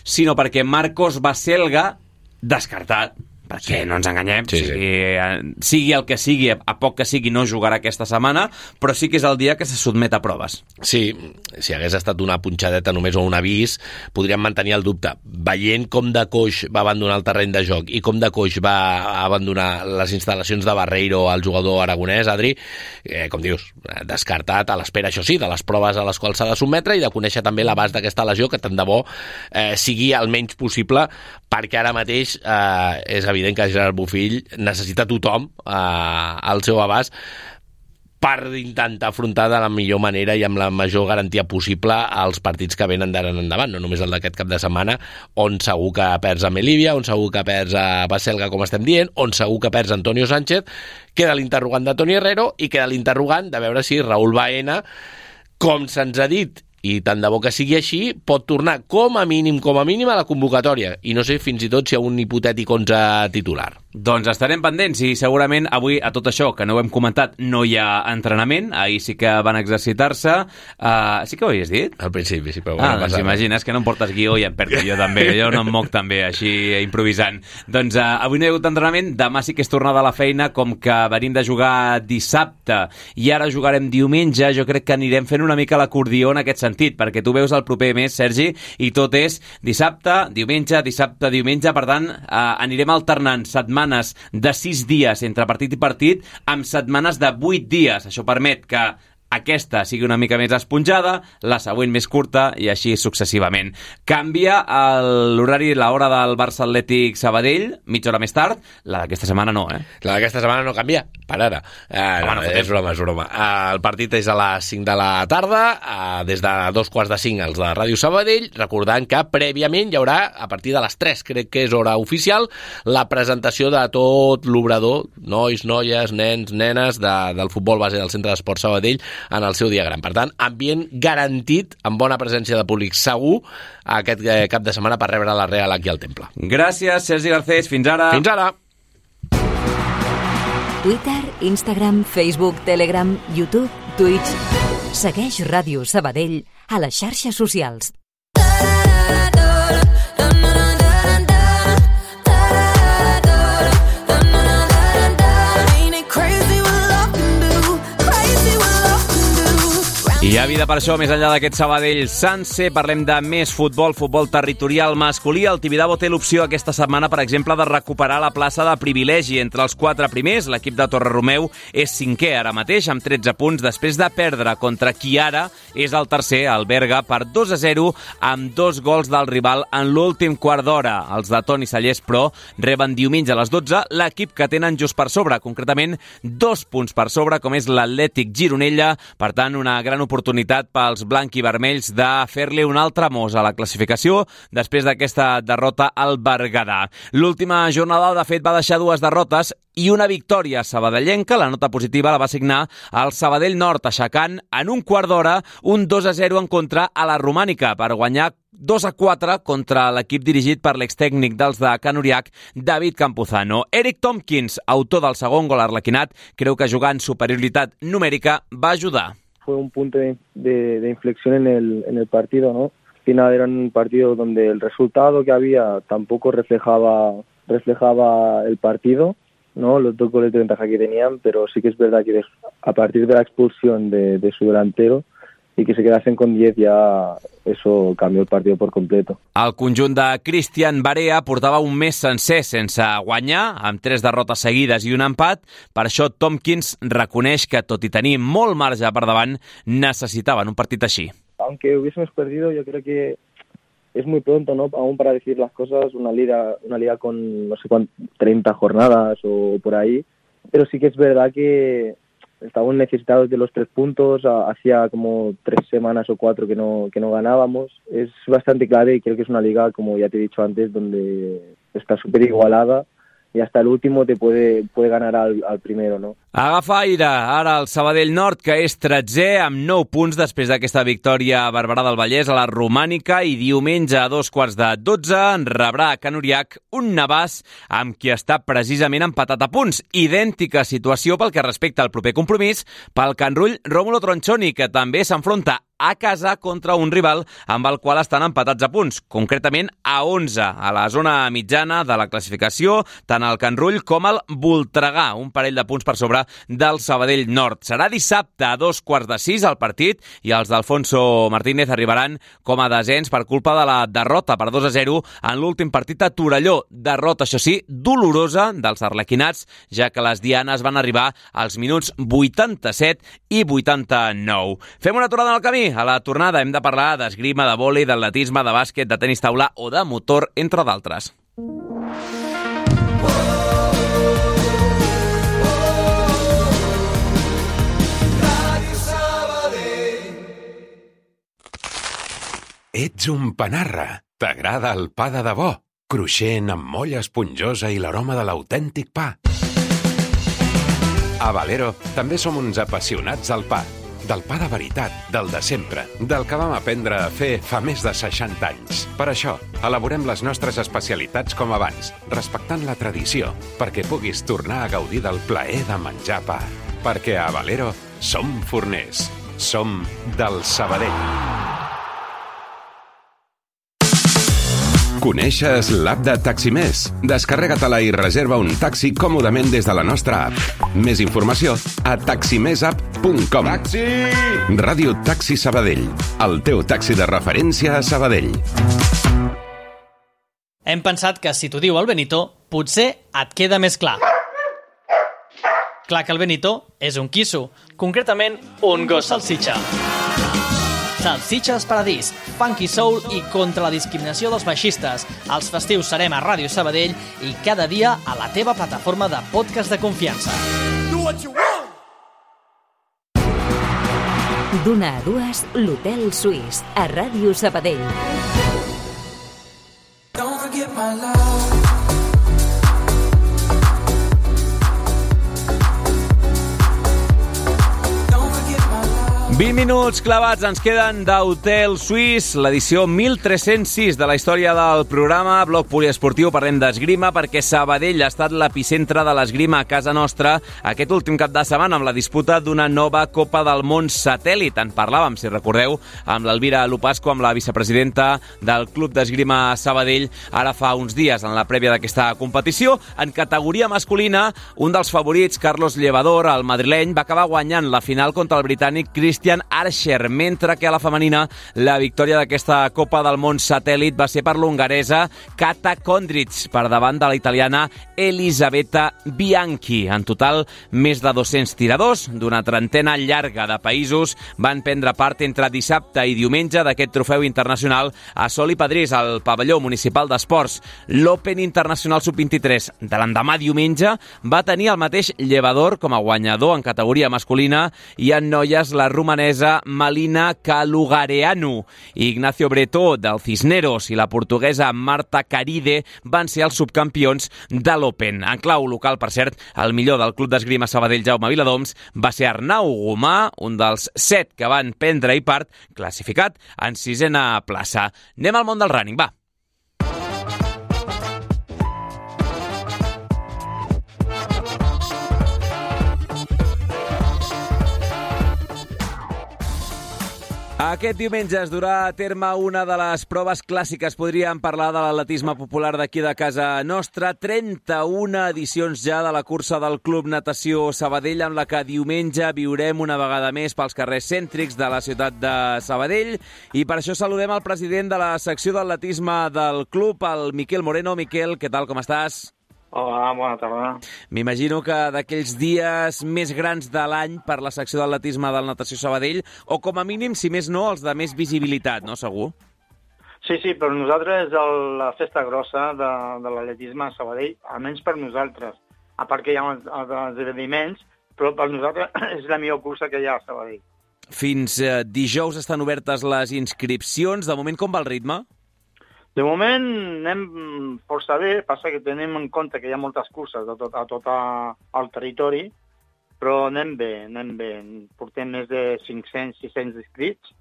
sinó perquè Marcos Baselga, descartat, perquè sí. No ens enganyem, sí, sigui, sí. sigui el que sigui, a poc que sigui no jugarà aquesta setmana, però sí que és el dia que se sotmet a proves. Sí, si hagués estat una punxadeta només o un avís, podríem mantenir el dubte. Veient com de coix va abandonar el terreny de joc i com de coix va abandonar les instal·lacions de Barreiro al jugador aragonès, Adri, eh, com dius, descartat a l'espera, això sí, de les proves a les quals s'ha de sotmetre i de conèixer també l'abast d'aquesta lesió, que tant de bo eh, sigui el menys possible, perquè ara mateix eh, és evident que Gerard Bofill necessita tothom eh, al seu abast per intentar afrontar de la millor manera i amb la major garantia possible els partits que venen d'ara en endavant, no només el d'aquest cap de setmana, on segur que perds a Melívia, on segur que perds a Baselga, com estem dient, on segur que perds a Antonio Sánchez, queda l'interrogant de Toni Herrero i queda l'interrogant de veure si Raúl Baena, com se'ns ha dit, i tant de bo que sigui així, pot tornar com a mínim, com a mínim a la convocatòria i no sé fins i tot si hi ha un hipotètic onze titular. Doncs estarem pendents i segurament avui a tot això que no ho hem comentat no hi ha entrenament, ahir sí que van exercitar-se. Uh, sí que ho havies dit? Al principi, sí, però ah, doncs imagines que no em portes guió i em perdo jo també, jo no em moc també així improvisant. Doncs uh, avui no hi ha hagut entrenament, demà sí que és tornada a la feina, com que venim de jugar dissabte i ara jugarem diumenge, jo crec que anirem fent una mica l'acordió en aquest sentit, perquè tu veus el proper mes, Sergi, i tot és dissabte, diumenge, dissabte, diumenge, per tant uh, anirem alternant setmanes de sis dies entre partit i partit amb setmanes de vuit dies. Això permet que aquesta sigui una mica més esponjada, la següent més curta i així successivament. Canvia l'horari, l'hora del Barça Atlètic Sabadell, mitja hora més tard. La d'aquesta setmana no, eh? La d'aquesta setmana no canvia, per ara. Eh, no, no, és broma, és broma. Eh, el partit és a les cinc de la tarda, eh, des de dos quarts de cinc els de Ràdio Sabadell, recordant que prèviament hi haurà, a partir de les tres, crec que és hora oficial, la presentació de tot l'obrador, nois, noies, nens, nenes, de, del futbol base del Centre d'Esport Sabadell, en el seu dia gran. Per tant, ambient garantit, amb bona presència de públic segur, aquest cap de setmana per rebre la Real aquí al Temple. Gràcies, Sergi Garcés. Fins ara. Fins ara. Twitter, Instagram, Facebook, Telegram, YouTube, Twitch. Segueix Ràdio Sabadell a les xarxes socials. Hi ha vida per això, més enllà d'aquest Sabadell Sanse. Parlem de més futbol, futbol territorial masculí. El Tibidabo té l'opció aquesta setmana, per exemple, de recuperar la plaça de privilegi entre els quatre primers. L'equip de Torreromeu és cinquè ara mateix, amb tretze punts, després de perdre contra qui ara és el tercer, el Berga, per dos a zero, amb dos gols del rival en l'últim quart d'hora. Els de Toni Sallés, però, reben diumenge a les dotze l'equip que tenen just per sobre, concretament dos punts per sobre, com és l'Atlètic Gironella. Per tant, una gran oportunitat possibilitat pels blanc i vermells de fer-li un altre mos a la classificació després d'aquesta derrota al Berguedà. L'última jornada, de fet, va deixar dues derrotes i una victòria sabadellenca. La nota positiva la va signar el Sabadell Nord, aixecant en un quart d'hora un dos a zero en contra a la Romànica per guanyar dos a quatre contra l'equip dirigit per l'extècnic dels de Can Uriach, David Campuzano. Eric Tompkins, autor del segon gol arlequinat, creu que jugar en superioritat numèrica va ayudar. Fue un punto de, de, de inflexión en el, en el partido, ¿no? Al final era un partido donde el resultado que había tampoco reflejaba, reflejaba el partido, ¿no? Los dos goles de ventaja que tenían, pero sí que es verdad que a partir de la expulsión de, de su delantero i que se quedasen con diez, ja eso cambió el partido por completo. El conjunt de Cristian Barea portava un mes sencer sense guanyar, amb tres derrotes seguides i un empat. Per això Tompkins reconeix que, tot i tenir molt marge per davant, necessitaven un partit així. Aunque hubiésemos perdido, yo creo que es muy pronto, ¿no? Aún para decir las cosas, una liga, una liga con no sé cuántas, treinta jornadas o por ahí, pero sí que es verdad que estábamos necesitados de los tres puntos, hacía como tres semanas o cuatro que no, que no ganábamos. Es bastante clave y creo que es una liga, como ya te he dicho antes, donde está súper igualada i hasta el último te puede, puede ganar al, al primero, ¿no? Agafa aire ara el Sabadell Nord, que és tretzè amb nou punts després d'aquesta victòria a Barberà del Vallès a la Romànica, i diumenge a dos quarts de dotze en rebrà a Can Uriach un Navàs amb qui està precisament empatat a punts. Idèntica situació pel que respecta al proper compromís pel Can Rull Rómulo Tronchoni, que també s'enfronta a casa contra un rival amb el qual estan empatats a punts, concretament a onze, a la zona mitjana de la classificació, tant el Can Rull com el Voltregà, un parell de punts per sobre del Sabadell Nord. Serà dissabte a dos quarts de sis el partit i els d'Alfonso Martínez arribaran com a desens per culpa de la derrota per dos a zero en l'últim partit a Torelló. Derrota, això sí, dolorosa dels arlequinats, ja que les dianes van arribar als minuts vuitanta-set i vuitanta-nou. Fem una aturada en el camí. A la tornada hem de parlar d'esgrima, de vòlei, d'atletisme, de bàsquet, de tenis taula o de motor, entre d'altres. Ets un panarra. T'agrada el pa de debò? Cruixent, amb molla esponjosa i l'aroma de l'autèntic pa. A Valero també som uns apassionats al pa. Del pa de veritat, del de sempre, del que vam aprendre a fer fa més de seixanta anys. Per això, elaborem les nostres especialitats com abans, respectant la tradició, perquè puguis tornar a gaudir del plaer de menjar pa. Perquè a Valero som forners, som del Sabadell. Coneixes l'app de Taximés? Descarrega-te-la i reserva un taxi còmodament des de la nostra app. Més informació a taximés app punt com. Taxi! Ràdio Taxi Sabadell, el teu taxi de referència a Sabadell. Hem pensat que si t'ho diu el Benito, potser et queda més clar. Clar que el Benito és un quisso, concretament un gos salsitxa. Salsitxes Paradís, funky soul i contra la discriminació dels baixistes. Els festius serem a Ràdio Sabadell i cada dia a la teva plataforma de podcast de confiança. D'una a dues, l'Hotel Suís, a Ràdio Sabadell. Don't forget my love. vint minuts clavats ens queden d'Hotel Suís, l'edició mil tres-cents sis de la història del programa Bloc Poliesportiu. Parlem d'esgrima perquè Sabadell ha estat l'epicentre de l'esgrima a casa nostra aquest últim cap de setmana amb la disputa d'una nova Copa del Món satèl·lit. En parlàvem, si recordeu, amb l'Elvira Lopasco, amb la vicepresidenta del Club d'Esgrima Sabadell, ara fa uns dies en la prèvia d'aquesta competició. En categoria masculina, un dels favorits, Carlos Llevador, el madrileny, va acabar guanyant la final contra el britànic Christian Archer, mentre que a la femenina la victòria d'aquesta Copa del Món satèl·lit va ser per l'hongaresa Kata Kondric, per davant de la italiana Elisabetta Bianchi. En total, més de dos-cents tiradors d'una trentena llarga de països van prendre part entre dissabte i diumenge d'aquest trofeu internacional a Sol i Pedrís, al pavelló municipal d'esports. L'Open Internacional sub vint-i-tres de l'endemà diumenge va tenir el mateix Llevador com a guanyador en categoria masculina, i en noies la romanesa romanesa Malina Calugareanu. Ignacio Bretó, del Cisneros, i la portuguesa Marta Caride van ser els subcampions de l'Open. En clau local, per cert, el millor del Club d'Esgrima Sabadell, Jaume Viladoms, va ser Arnau Gomà, un dels set que van prendre-hi part, classificat en sisena plaça. Anem al món del running, va. Aquest diumenge es durà a terme una de les proves clàssiques. Podríem parlar de l'atletisme popular d'aquí de casa nostra. trenta-una edicions ja de la cursa del Club Natació Sabadell, amb la que diumenge viurem una vegada més pels carrers cèntrics de la ciutat de Sabadell. I per això saludem el president de la secció d'atletisme del club, el Miquel Moreno. Miquel, què tal, com estàs? Hola, bona tarda. M'imagino que d'aquells dies més grans de l'any per la secció d'atletisme del Natació Sabadell, o com a mínim, si més no, els de més visibilitat, no, segur? Sí, sí, per nosaltres és el, la festa grossa de, de l'atletisme a Sabadell, almenys per nosaltres. A part que hi ha els, els esdeveniments, però per nosaltres és la millor cursa que hi ha a Sabadell. Fins eh, dijous estan obertes les inscripcions. De moment, com va el ritme? De moment anem força bé, passa que tenim en compte que hi ha moltes curses a tot, a tot el territori, però anem bé, anem bé. Portem més de cinc-cents sis-cents inscrits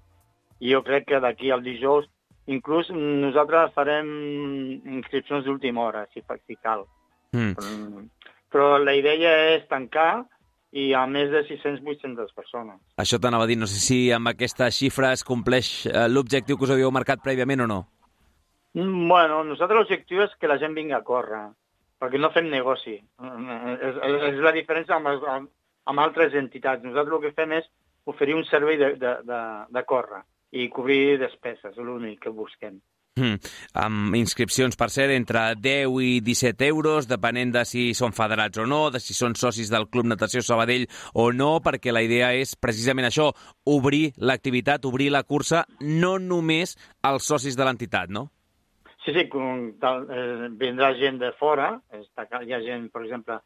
i jo crec que d'aquí al dijous, inclús nosaltres farem inscripcions d'última hora, si, si cal. Mm. Però, però la idea és tancar i a més de sis-cents vuit-centes persones. Això t'anava a dir, no sé si amb aquesta xifra es compleix l'objectiu que us havíeu marcat prèviament o no. Bueno, nosaltres l'objectiu és que la gent vingui a córrer, perquè no fem negoci. És, és la diferència amb, amb, amb altres entitats. Nosaltres el que fem és oferir un servei de, de, de, de córrer i cobrir despeses, és l'únic que busquem. Mm. Amb inscripcions, per cert, entre deu i disset euros, depenent de si són federats o no, de si són socis del Club Natació Sabadell o no, perquè la idea és precisament això, obrir l'activitat, obrir la cursa, no només als socis de l'entitat, no? Sí, sí, tal, eh, vindrà gent de fora, està, hi ha gent, per exemple,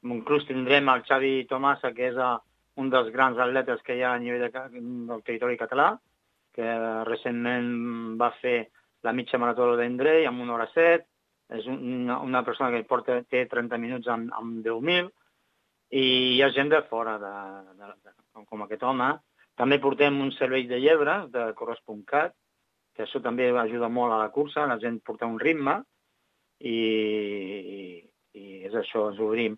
inclús tindrem el Xavi Tomasa, que és a, un dels grans atletes que hi ha a nivell de, del territori català, que recentment va fer la mitja marató d'Endrei amb una hora set, és una, una persona que porta, té trenta minuts amb, amb deu mil, i hi ha gent de fora, de, de, de, com aquest home. També portem un servei de llebres, de corres.cat, que això també ajuda molt a la cursa, la gent porta un ritme, i, i, i és això, ens obrim.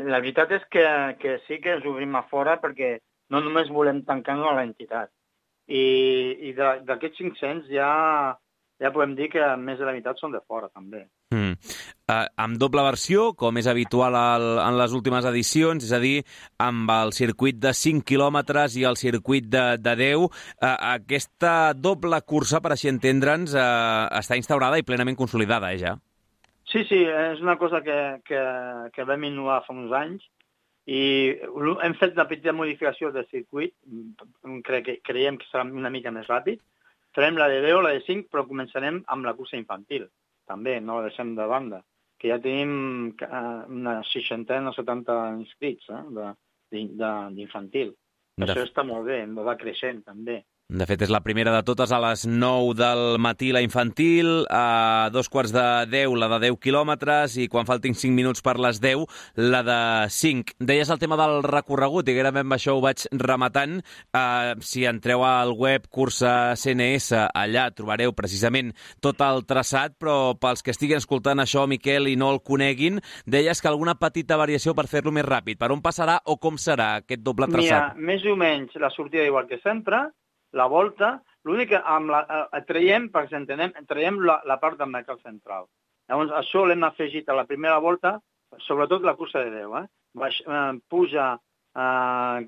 La veritat és que, que sí que ens obrim a fora perquè no només volem tancar-nos a l'entitat. I, i d'aquests cinc-cents ja, ja podem dir que més de la meitat són de fora, també. Mm. Uh, amb doble versió, com és habitual al, en les últimes edicions, és a dir, amb el circuit de cinc quilòmetres i el circuit de, de deu, uh, aquesta doble cursa, per així entendre'ns, uh, està instaurada i plenament consolidada, eh, ja? Sí, sí, és una cosa que, que, que vam innovar fa uns anys i hem fet una petita modificació del circuit, cre que creiem que serà una mica més ràpid. Farem la de deu, la de cinc, però començarem amb la cursa infantil. També, no la deixem de banda, que ja tenim una seixantena o setanta inscrits eh, d'infantil. Això està molt bé, va creixent també. De fet, és la primera de totes, a les nou del matí la infantil, a dos quarts de deu la de deu quilòmetres i quan faltin cinc minuts per les deu la de cinc. Deies el tema del recorregut i gairebé amb això ho vaig rematant. Uh, si entreu al web Cursa C N S, allà trobareu precisament tot el traçat, però pels que estiguin escoltant això, Miquel, i no el coneguin, deies que alguna petita variació per fer-lo més ràpid. Per on passarà o com serà aquest doble traçat? Mira, més o menys la sortida igual que sempre, la volta, l'únic que amb la, eh, traiem, perquè entenem, traiem la, la part del mercat central. Llavors, això l'hem afegit a la primera volta, sobretot la cursa de deu. Eh? Baix, eh, puja, eh,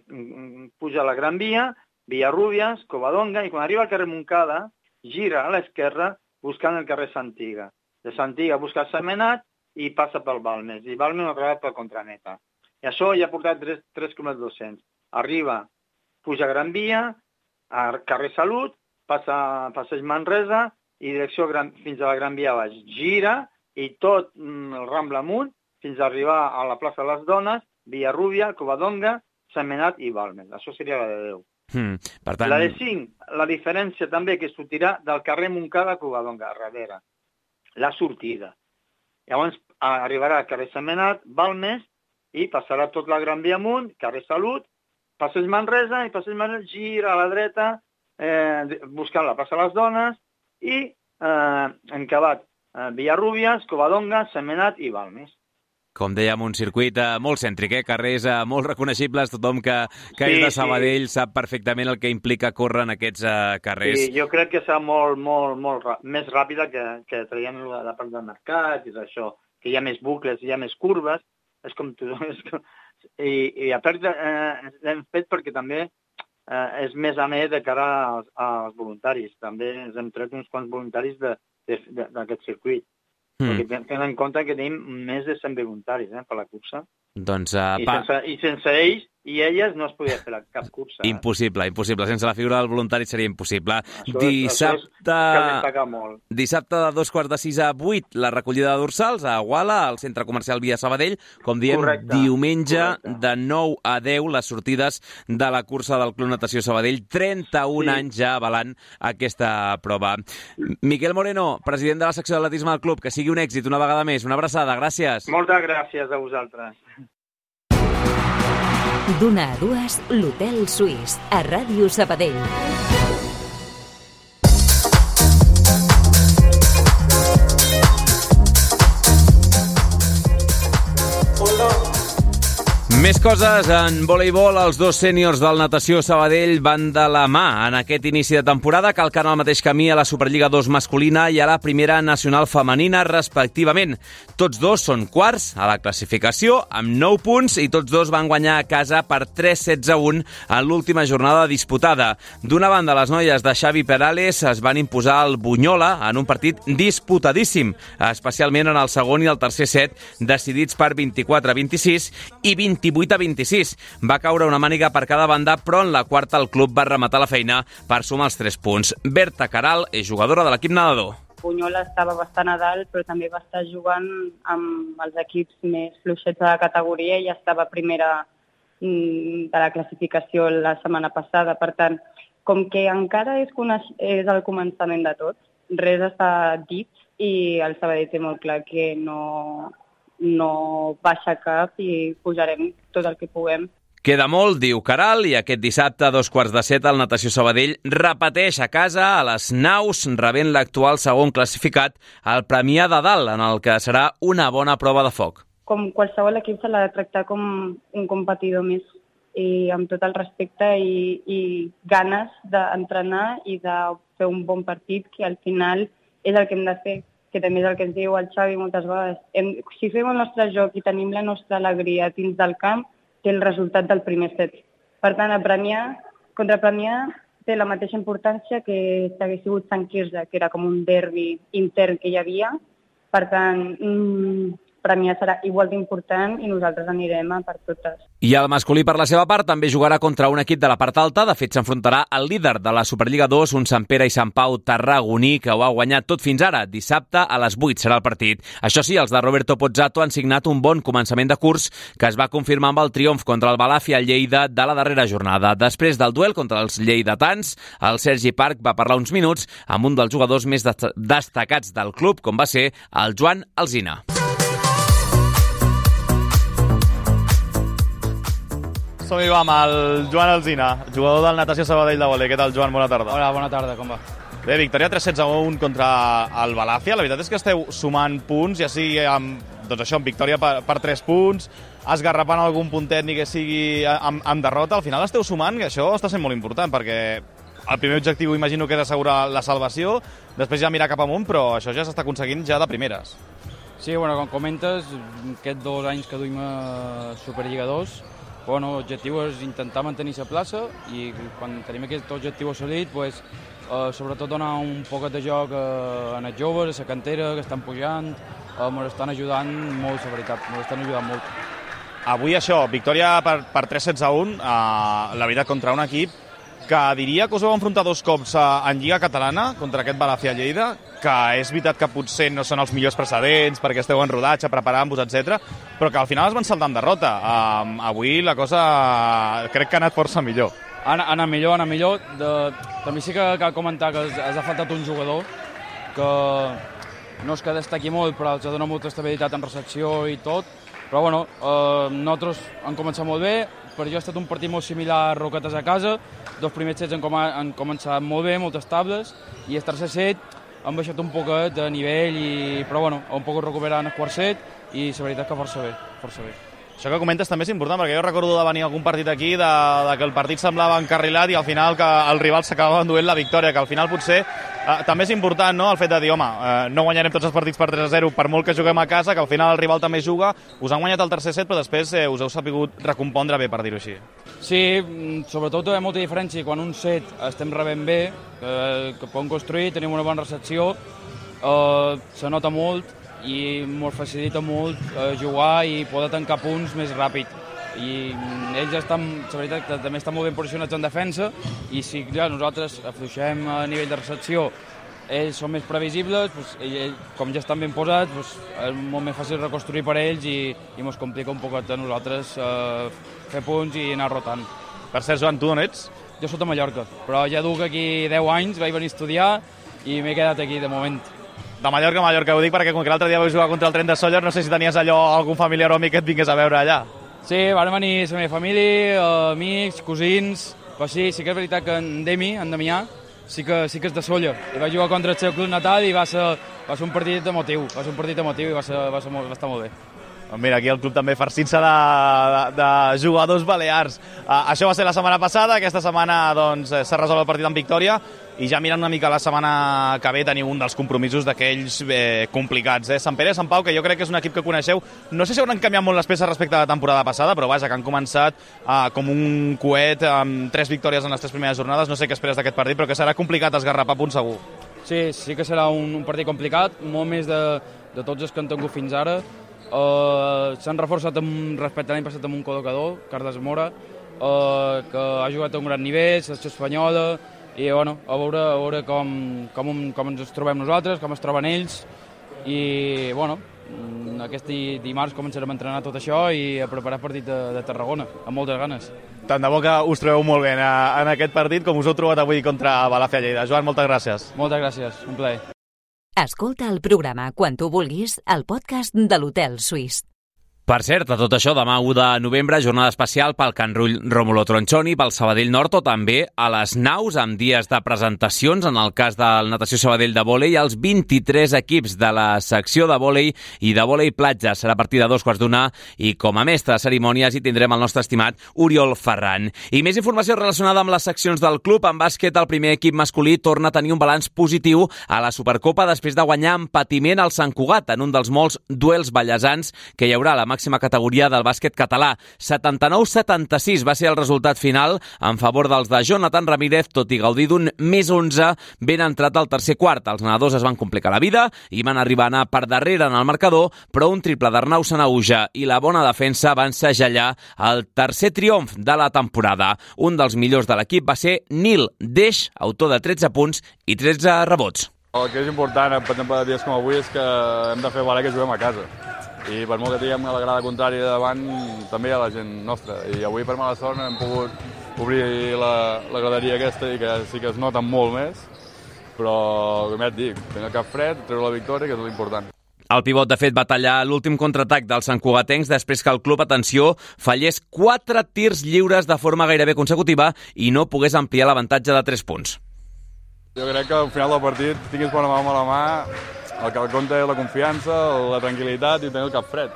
puja la Gran Via, Villarrubias, Covadonga, i quan arriba al carrer Montcada, gira a l'esquerra buscant el carrer Santiga. De Santiga busca Sentmenat i passa pel Balmes. I Balmes una altra vegada per Contraneta. I això ja ha portat tres quilòmetres dos-cents. Arriba, puja a Gran Via, a carrer Salut, passa a Passeig Manresa i direcció gran, fins a la Gran Via baix. Gira i tot mm, el Rambla amunt fins a arribar a la plaça de les Dones, Villarrubia, Covadonga, Sentmenat i Balmes. Això seria la de deu. Mm, per tant... La de cinc, la diferència també que sortirà del carrer Montcada a Covadonga, a darrere. La sortida. Llavors arribarà al carrer Sentmenat, Balmes, i passarà tot la Gran Via amunt, carrer Salut, passeig Manresa, i passeig Manresa gira a la dreta, eh, buscant la plaça de les Dones, i eh, encabat eh, Villarrubias, Covadonga, Sentmenat i Balmes. Com dèiem, un circuit eh, molt cèntric, eh? Carrers eh, molt reconeixibles, tothom que, que Sí, és de Sabadell sí. sap perfectament el que implica córrer en aquests eh, carrers. Sí, jo crec que serà molt, molt, molt rà- més ràpida que, que traient la, la part del mercat i això, que hi ha més bucles, hi ha més curves, és com tu... És com... I, i a part eh, l'hem fet perquè també eh, és més amè de cara als, als voluntaris. També ens hem tret uns quants voluntaris de- de- de- d'aquest circuit. Mm. Perquè tenen en compte que tenim més de cent voluntaris eh, per la cursa. Doncs, uh, I, pa... sense, I sense ells i elles no es podia fer la, cap cursa. Eh? Impossible, impossible. Sense la figura del voluntari seria impossible. Això és- Dissabte... això és que destaca molt. Dissabte de dos quarts de sis a vuit, la recollida de dorsals a Guala, al centre comercial Via Sabadell. Com diem, Correcte, diumenge correcte. de nou a deu, les sortides de la cursa del Club Natació Sabadell. trenta-un Sí. anys ja avalant aquesta prova. Miquel Moreno, president de la secció d'atletisme del club, que sigui un èxit una vegada més. Una abraçada, gràcies. Moltes gràcies a vosaltres. D'una a dues, l'Hotel Suís, a Ràdio Sabadell. Més coses en voleibol. Els dos sèniors del Natació Sabadell van de la mà en aquest inici de temporada, calcant el mateix camí a la Superliga dos masculina i a la Primera Nacional femenina, respectivament. Tots dos són quarts a la classificació, amb nou punts, i tots dos van guanyar a casa per tres setze a un en l'última jornada disputada. D'una banda, les noies de Xavi Perales es van imposar al Bunyola en un partit disputadíssim, especialment en el segon i el tercer set, decidits per vint-i-quatre a vint-i-sis i vint-i-vuit a vint-i-sis. Va caure una màniga per cada banda, però en la quarta el club va rematar la feina per sumar els tres punts. Berta Caral és jugadora de l'equip nedador. Bunyola estava bastant a dalt, però també va estar jugant amb els equips més fluixets de la categoria i estava primera mm, de la classificació la setmana passada. Per tant, com que encara és, coneix- és el començament de tot, res està dit i el Sabadell té molt clar que no, no baixa cap i pujarem tot el que puguem. Queda molt, diu Caral, i aquest dissabte a dos quarts de set el Natació Sabadell repeteix a casa a les Naus, rebent l'actual segon classificat, el Premià de Dalt, en el que serà una bona prova de foc. Com qualsevol equip se l'ha de tractar com un competidor més i amb tot el respecte i, i ganes d'entrenar i de fer un bon partit, que al final és el que hem de fer, que també és el que ens diu el Xavi moltes vegades. Hem, si fem el nostre joc i tenim la nostra alegria dins del camp, té el resultat del primer set. Per tant, a premiar, contra premiar té la mateixa importància que si hagués sigut Sant Quirze, que era com un derbi intern que hi havia. Per tant, mmm, premiar serà igual d'important i nosaltres anirem a per totes. I el masculí, per la seva part, també jugarà contra un equip de la part alta. De fet, s'enfrontarà al líder de la Superliga dos, un Sant Pere i Sant Pau tarragoní, que ho ha guanyat tot fins ara. Dissabte a les vuit serà el partit. Això sí, els de Roberto Pozzato han signat un bon començament de curs que es va confirmar amb el triomf contra el Balàfia Lleida de la darrera jornada. Després del duel contra els lleidatans, el Sergi Parc va parlar uns minuts amb un dels jugadors més destacats del club, com va ser el Joan Alsina. Som-hi, vam, el Joan Alsina, jugador del Natació Sabadell de vòlei. Què tal, Joan? Bona tarda. Hola, bona tarda, com va? Bé, victòria tres setze a un contra el Balàfia. La veritat és que esteu sumant punts, ja sigui amb, doncs això, amb victòria per, per tres punts, esgarrapant algun puntet ni que sigui amb, amb derrota. Al final esteu sumant, que això està sent molt important, perquè el primer objectiu imagino que és assegurar la salvació, després ja mirar cap amunt, però això ja s'està aconseguint ja de primeres. Sí, bueno, com comentes, aquests dos anys que duim a Superliga dos, bueno, l'objectiu és intentar mantenir la plaça i quan tenim aquest objectiu assolit, pues, eh, sobretot donar un poquet de joc eh, a els joves, a la cantera, que estan pujant, eh, ens estan ajudant molt, la veritat, ens estan ajudant molt. Avui això, victòria per, per tres setze a un, eh, la veritat, contra un equip que diria que us vau enfrontar dos cops en Lliga Catalana contra aquest Balàfia Lleida, que és veritat que potser no són els millors precedents perquè esteu en rodatge, preparant-vos, etcètera, però que al final es van saltar en derrota. Um, avui la cosa crec que ha anat força millor. Anar, anar millor, anar millor. De... També sí que cal comentar que has ha faltat un jugador que no és que destaqui molt, però els ha donat molta estabilitat en recepció i tot. Però bueno, eh, nosaltres hem començat molt bé. Per jo ha estat un partit molt similar a Roquetes a casa. Dos primers sets han, com han començat molt bé, molt estables, i el tercer set han baixat un poquet de nivell, i... però bueno, han pogut recuperar en el quart set, i la veritat que força bé, força bé. Això que comentes també és important, perquè jo recordo de venir a algun partit aquí, de, de que el partit semblava encarrilat i al final que el rival s'acabava enduent la victòria, que al final potser eh, també és important, no?, el fet de dir, home, eh, no guanyarem tots els partits per tres a zero, per molt que juguem a casa, que al final el rival també juga, us han guanyat el tercer set, però després eh, us heu sapigut recompondre bé, per dir-ho així. Sí, sobretot hi ha molta diferència quan un set estem rebent bé, eh, que podem construir, tenim una bona recepció, eh, se nota molt, i molt facilita molt eh, jugar i poder tancar punts més ràpid. I ells estan, la veritat, que també estan molt ben posicionats en defensa, i si ja, nosaltres afluixem a nivell de recepció, ells són més previsibles, doncs, ell, com ja estan ben posats, doncs, és molt més fàcil reconstruir per ells, i, i ens complica un poquet a nosaltres eh, fer punts i anar rotant. Per cert, Joan, tu d'on ets? Jo soc de Mallorca, però ja duc aquí deu anys, vaig venir a estudiar i m'he quedat aquí de moment. De Mallorca a Mallorca, ho dic perquè com que l'altre dia vaig jugar contra el Tren de Sóller, no sé si tenies allò algun familiar o amic que et vingués a veure allà. Sí, van venir la meva família, amics, cosins, però sí, sí que és veritat que en Demi, en Damià, sí que, sí que és de Sóller. I vaig jugar contra el seu club natal i va ser, va ser un partit emotiu, va ser un partit emotiu i va, ser, va, ser molt, va estar molt bé. Mira, aquí el club també farcint-se de, de, de jugadors balears. Uh, això va ser la setmana passada, aquesta setmana doncs, s'ha resolt el partit en victòria, i ja mirant una mica la setmana que ve teniu un dels compromisos d'aquells eh, complicats. Eh? Sant Pere i Sant Pau, que jo crec que és un equip que coneixeu. No sé si hauran canviat molt les peces respecte a la temporada passada, però vaja, que han començat uh, com un coet amb tres victòries en les tres primeres jornades. No sé què esperes d'aquest partit, però que serà complicat esgarrapar punts segur. Sí, sí que serà un, un partit complicat, molt més de, de tots els que han tingut fins ara. Uh, s'han reforçat amb, respecte a l'any passat amb un col·locador, Carles Mora, uh, que ha jugat a un gran nivell, selecció espanyola, i bueno, a veure, a veure com, com, com ens trobem nosaltres, com es troben ells, i bueno, aquest dimarts començarem a entrenar tot això i a preparar el partit de, de Tarragona, amb moltes ganes. Tant de bo que us trobeu molt bé en, en aquest partit, com us heu trobat avui contra Balàfia Lleida. Joan, moltes gràcies. Moltes gràcies, un plaer. Escolta el programa quan tu vulguis al podcast de l'Hotel Suís. Per cert, a tot això, demà u de novembre, jornada especial pel Can Rull Rómulo Tronchoni, pel Sabadell Nord, o també a les naus, amb dies de presentacions, en el cas del Natació Sabadell de vòlei, els vint-i-tres equips de la secció de vòlei i de vòlei platja. Serà a partir de dos quarts d'una, i com a mestre de cerimònies hi tindrem el nostre estimat Oriol Ferran. I més informació relacionada amb les seccions del club. En bàsquet, el primer equip masculí torna a tenir un balanç positiu a la Supercopa després de guanyar amb patiment al Sant Cugat, en un dels molts duels ballesans que hi haurà a la màxima categoria del bàsquet català. setanta-nou setanta-sis va ser el resultat final en favor dels de Jonathan Ramírez, tot i gaudir d'un més onze ben entrat al tercer quart. Els nedadors es van complicar la vida i van arribar a anar per darrere en el marcador, però un triple d'Arnau Sanauja i la bona defensa van segellar el tercer triomf de la temporada. Un dels millors de l'equip va ser Nil Deix, autor de tretze punts i tretze rebots. El que és important, per exemple, dies com avui, és que hem de fer valer que juguem a casa. I per molt que tinguem la grada contrària davant, també hi ha la gent nostra. I avui, per mala sort, hem pogut obrir la, la graderia aquesta i que sí que es nota molt més. Però, com ja et dic, tenir el cap fred, treure la victòria, que és l'important. El pivot, de fet, va tallar l'últim contraatac dels santcugatencs després que el club, atenció, fallés quatre tirs lliures de forma gairebé consecutiva i no pogués ampliar l'avantatge de tres punts. Jo crec que al final del partit tinguis bona mà a la mà, el que compta és la confiança, la tranquil·litat i tenir el cap fred.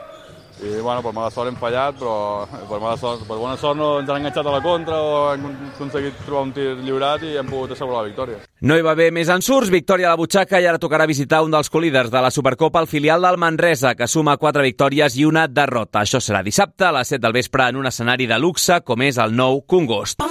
I, bueno, per mala sort hem fallat, però per, mala sort, per bona sort no ens han enganxat a la contra o hem aconseguit trobar un tir lliurat i hem pogut assegurar la victòria. No hi va haver més ensurts, victòria a la butxaca, i ara tocarà visitar un dels colíders de la Supercopa, el filial del Manresa, que suma quatre victòries i una derrota. Això serà dissabte a les set del vespre en un escenari de luxe com és el nou Congost.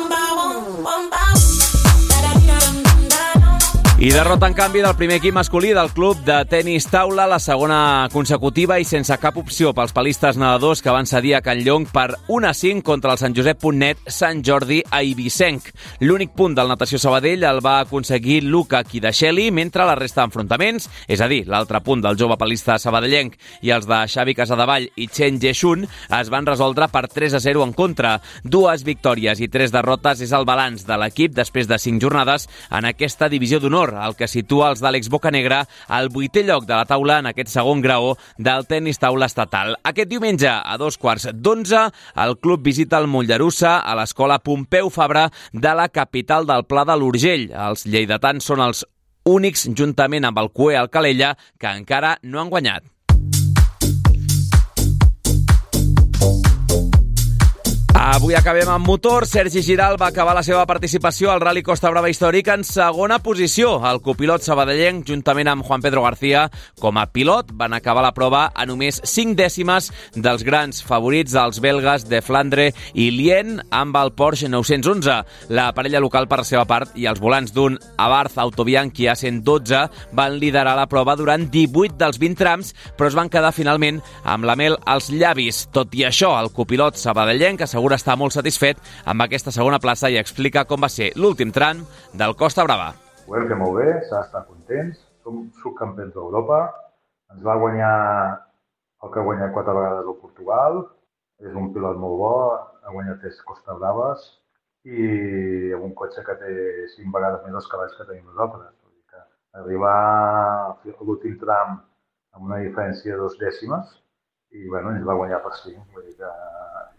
I derrota, en canvi, del primer equip masculí del club de tenis taula, la segona consecutiva i sense cap opció pels palistes nedadors que van cedir a Can Llong per un a cinc contra el Sant Josep punt net Sant Jordi a Eivissenc. L'únic punt del Natació Sabadell el va aconseguir Luca Kidasheli, mentre la resta d'enfrontaments, és a dir, l'altre punt del jove palista sabadellenc i els de Xavi Casadevall i Chen Jeshun, es van resoldre per tres a zero en contra. Dues victòries i tres derrotes és el balanç de l'equip després de cinc jornades en aquesta divisió d'honor, el que situa els d'Àlex Bocanegra al vuitè lloc de la taula en aquest segon graó del tenis taula estatal. Aquest diumenge, a dos quarts d'onze, el club visita el Mollerussa a l'escola Pompeu Fabra de la capital del Pla de l'Urgell. Els lleidatans són els únics, juntament amb el Cue Alcalella, que encara no han guanyat. Avui acabem amb motor. Sergi Giral va acabar la seva participació al Rally Costa Brava històric en segona posició. El copilot sabadellenc, juntament amb Juan Pedro García, com a pilot, van acabar la prova a només cinc dècimes dels grans favorits, els belgues de Flandre i Lien, amb el Porsche nou-cents onze. La parella local, per la seva part, i els volants d'un Abarth Autobianchi A cent dotze van liderar la prova durant divuit dels vint trams, però es van quedar finalment amb la mel als llavis. Tot i això, el copilot sabadellenc assegura està molt satisfet amb aquesta segona plaça i explica com va ser l'últim tram del Costa Brava. Ho hem fet molt bé, s'ha d'estar contents, som subcampions d'Europa, ens va guanyar el que ha guanyat quatre vegades al Portugal, és un pilot molt bo, ha guanyat tres Costa Braves i amb un cotxe que té cinc vegades més els cavalls que tenim nosaltres. Vull dir que arribar a l'últim tram amb una diferència de dos dècimes i bueno, ens va guanyar per cinc, vull dir que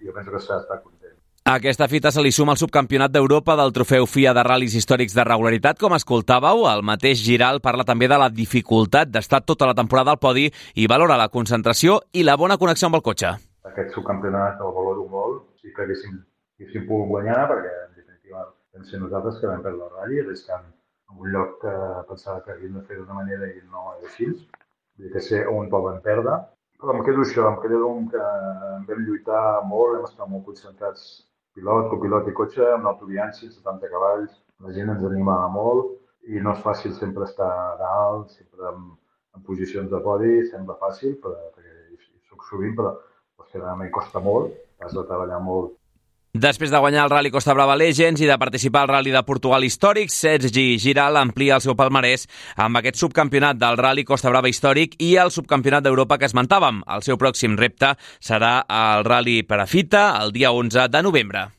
jo penso que s'ha d'estar content. A aquesta fita se li suma el subcampionat d'Europa del trofeu F I A de ral·lis històrics de regularitat. Com escoltàveu, el mateix Giral parla també de la dificultat d'estar tota la temporada al podi i valora la concentració i la bona connexió amb el cotxe. Aquest subcampionat el valoro molt, sí que haguéssim, haguéssim pogut guanyar perquè en definitiva vam ser nosaltres que vam perdre el ral·li, arriscant en un lloc que pensava que havíem de fer d'una manera i no és així. Vull dir que sé on el vam perdre. Però em quedo això, em quedo que vam lluitar molt, vam estar molt concentrats, pilot, copilot i cotxe, amb l'autobianci, setanta cavalls, la gent ens animava molt i no és fàcil sempre estar a dalt, sempre en, en posicions de podi, sembla fàcil, però, perquè hi soc sovint, però pues, que realment costa molt, has de treballar molt. Després de guanyar el Rally Costa Brava Legends i de participar al Rally de Portugal històric, Sergi Giral amplia el seu palmarès amb aquest subcampionat del Rally Costa Brava històric i el subcampionat d'Europa que esmentàvem. El seu pròxim repte serà el Rally Perafita el dia onze de novembre.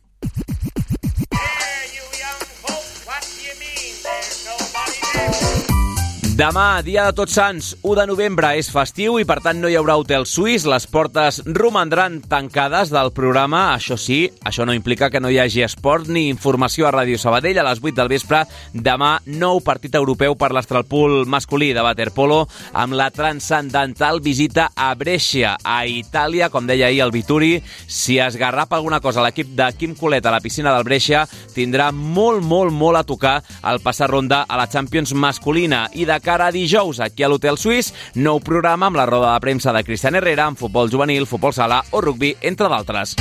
Demà, dia de Tots Sants, u de novembre, és festiu i per tant no hi haurà hotel suís. Les portes romandran tancades del programa. Això sí, això no implica que no hi hagi esport ni informació a Ràdio Sabadell. A les vuit del vespre, demà, nou partit europeu per l'Astralpool masculí de waterpolo amb la transcendental visita a Brescia, a Itàlia, com deia ahir el Vituri. Si es garrapa alguna cosa l'equip de Quim Colet a la piscina del Brescia, tindrà molt, molt, molt a tocar al passar ronda a la Champions masculina. I de cara a dijous, aquí a l'Hotel Suís, nou programa amb la roda de premsa de Cristian Herrera, amb futbol juvenil, futbol sala o rugbi, entre d'altres.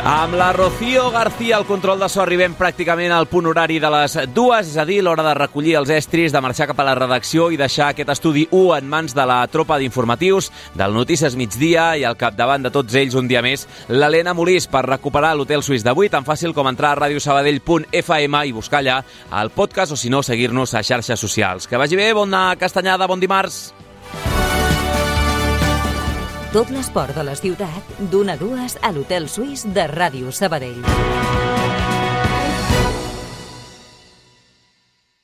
Amb la Rocío García al control de so arribem pràcticament al punt horari de les dues, és a dir, l'hora de recollir els estris, de marxar cap a la redacció i deixar aquest estudi u en mans de la tropa d'informatius del Notícies Migdia i al capdavant de tots ells un dia més, l'Helena Molís, per recuperar l'Hotel Suís d'avui, tan fàcil com entrar a radiosabadell punt f m i buscar allà el podcast o, si no, seguir-nos a xarxes socials. Que vagi bé, bona castanyada, bon dimarts! Tot l'esport de la ciutat, d'una a dues a l'Hotel Suís de Ràdio Sabadell.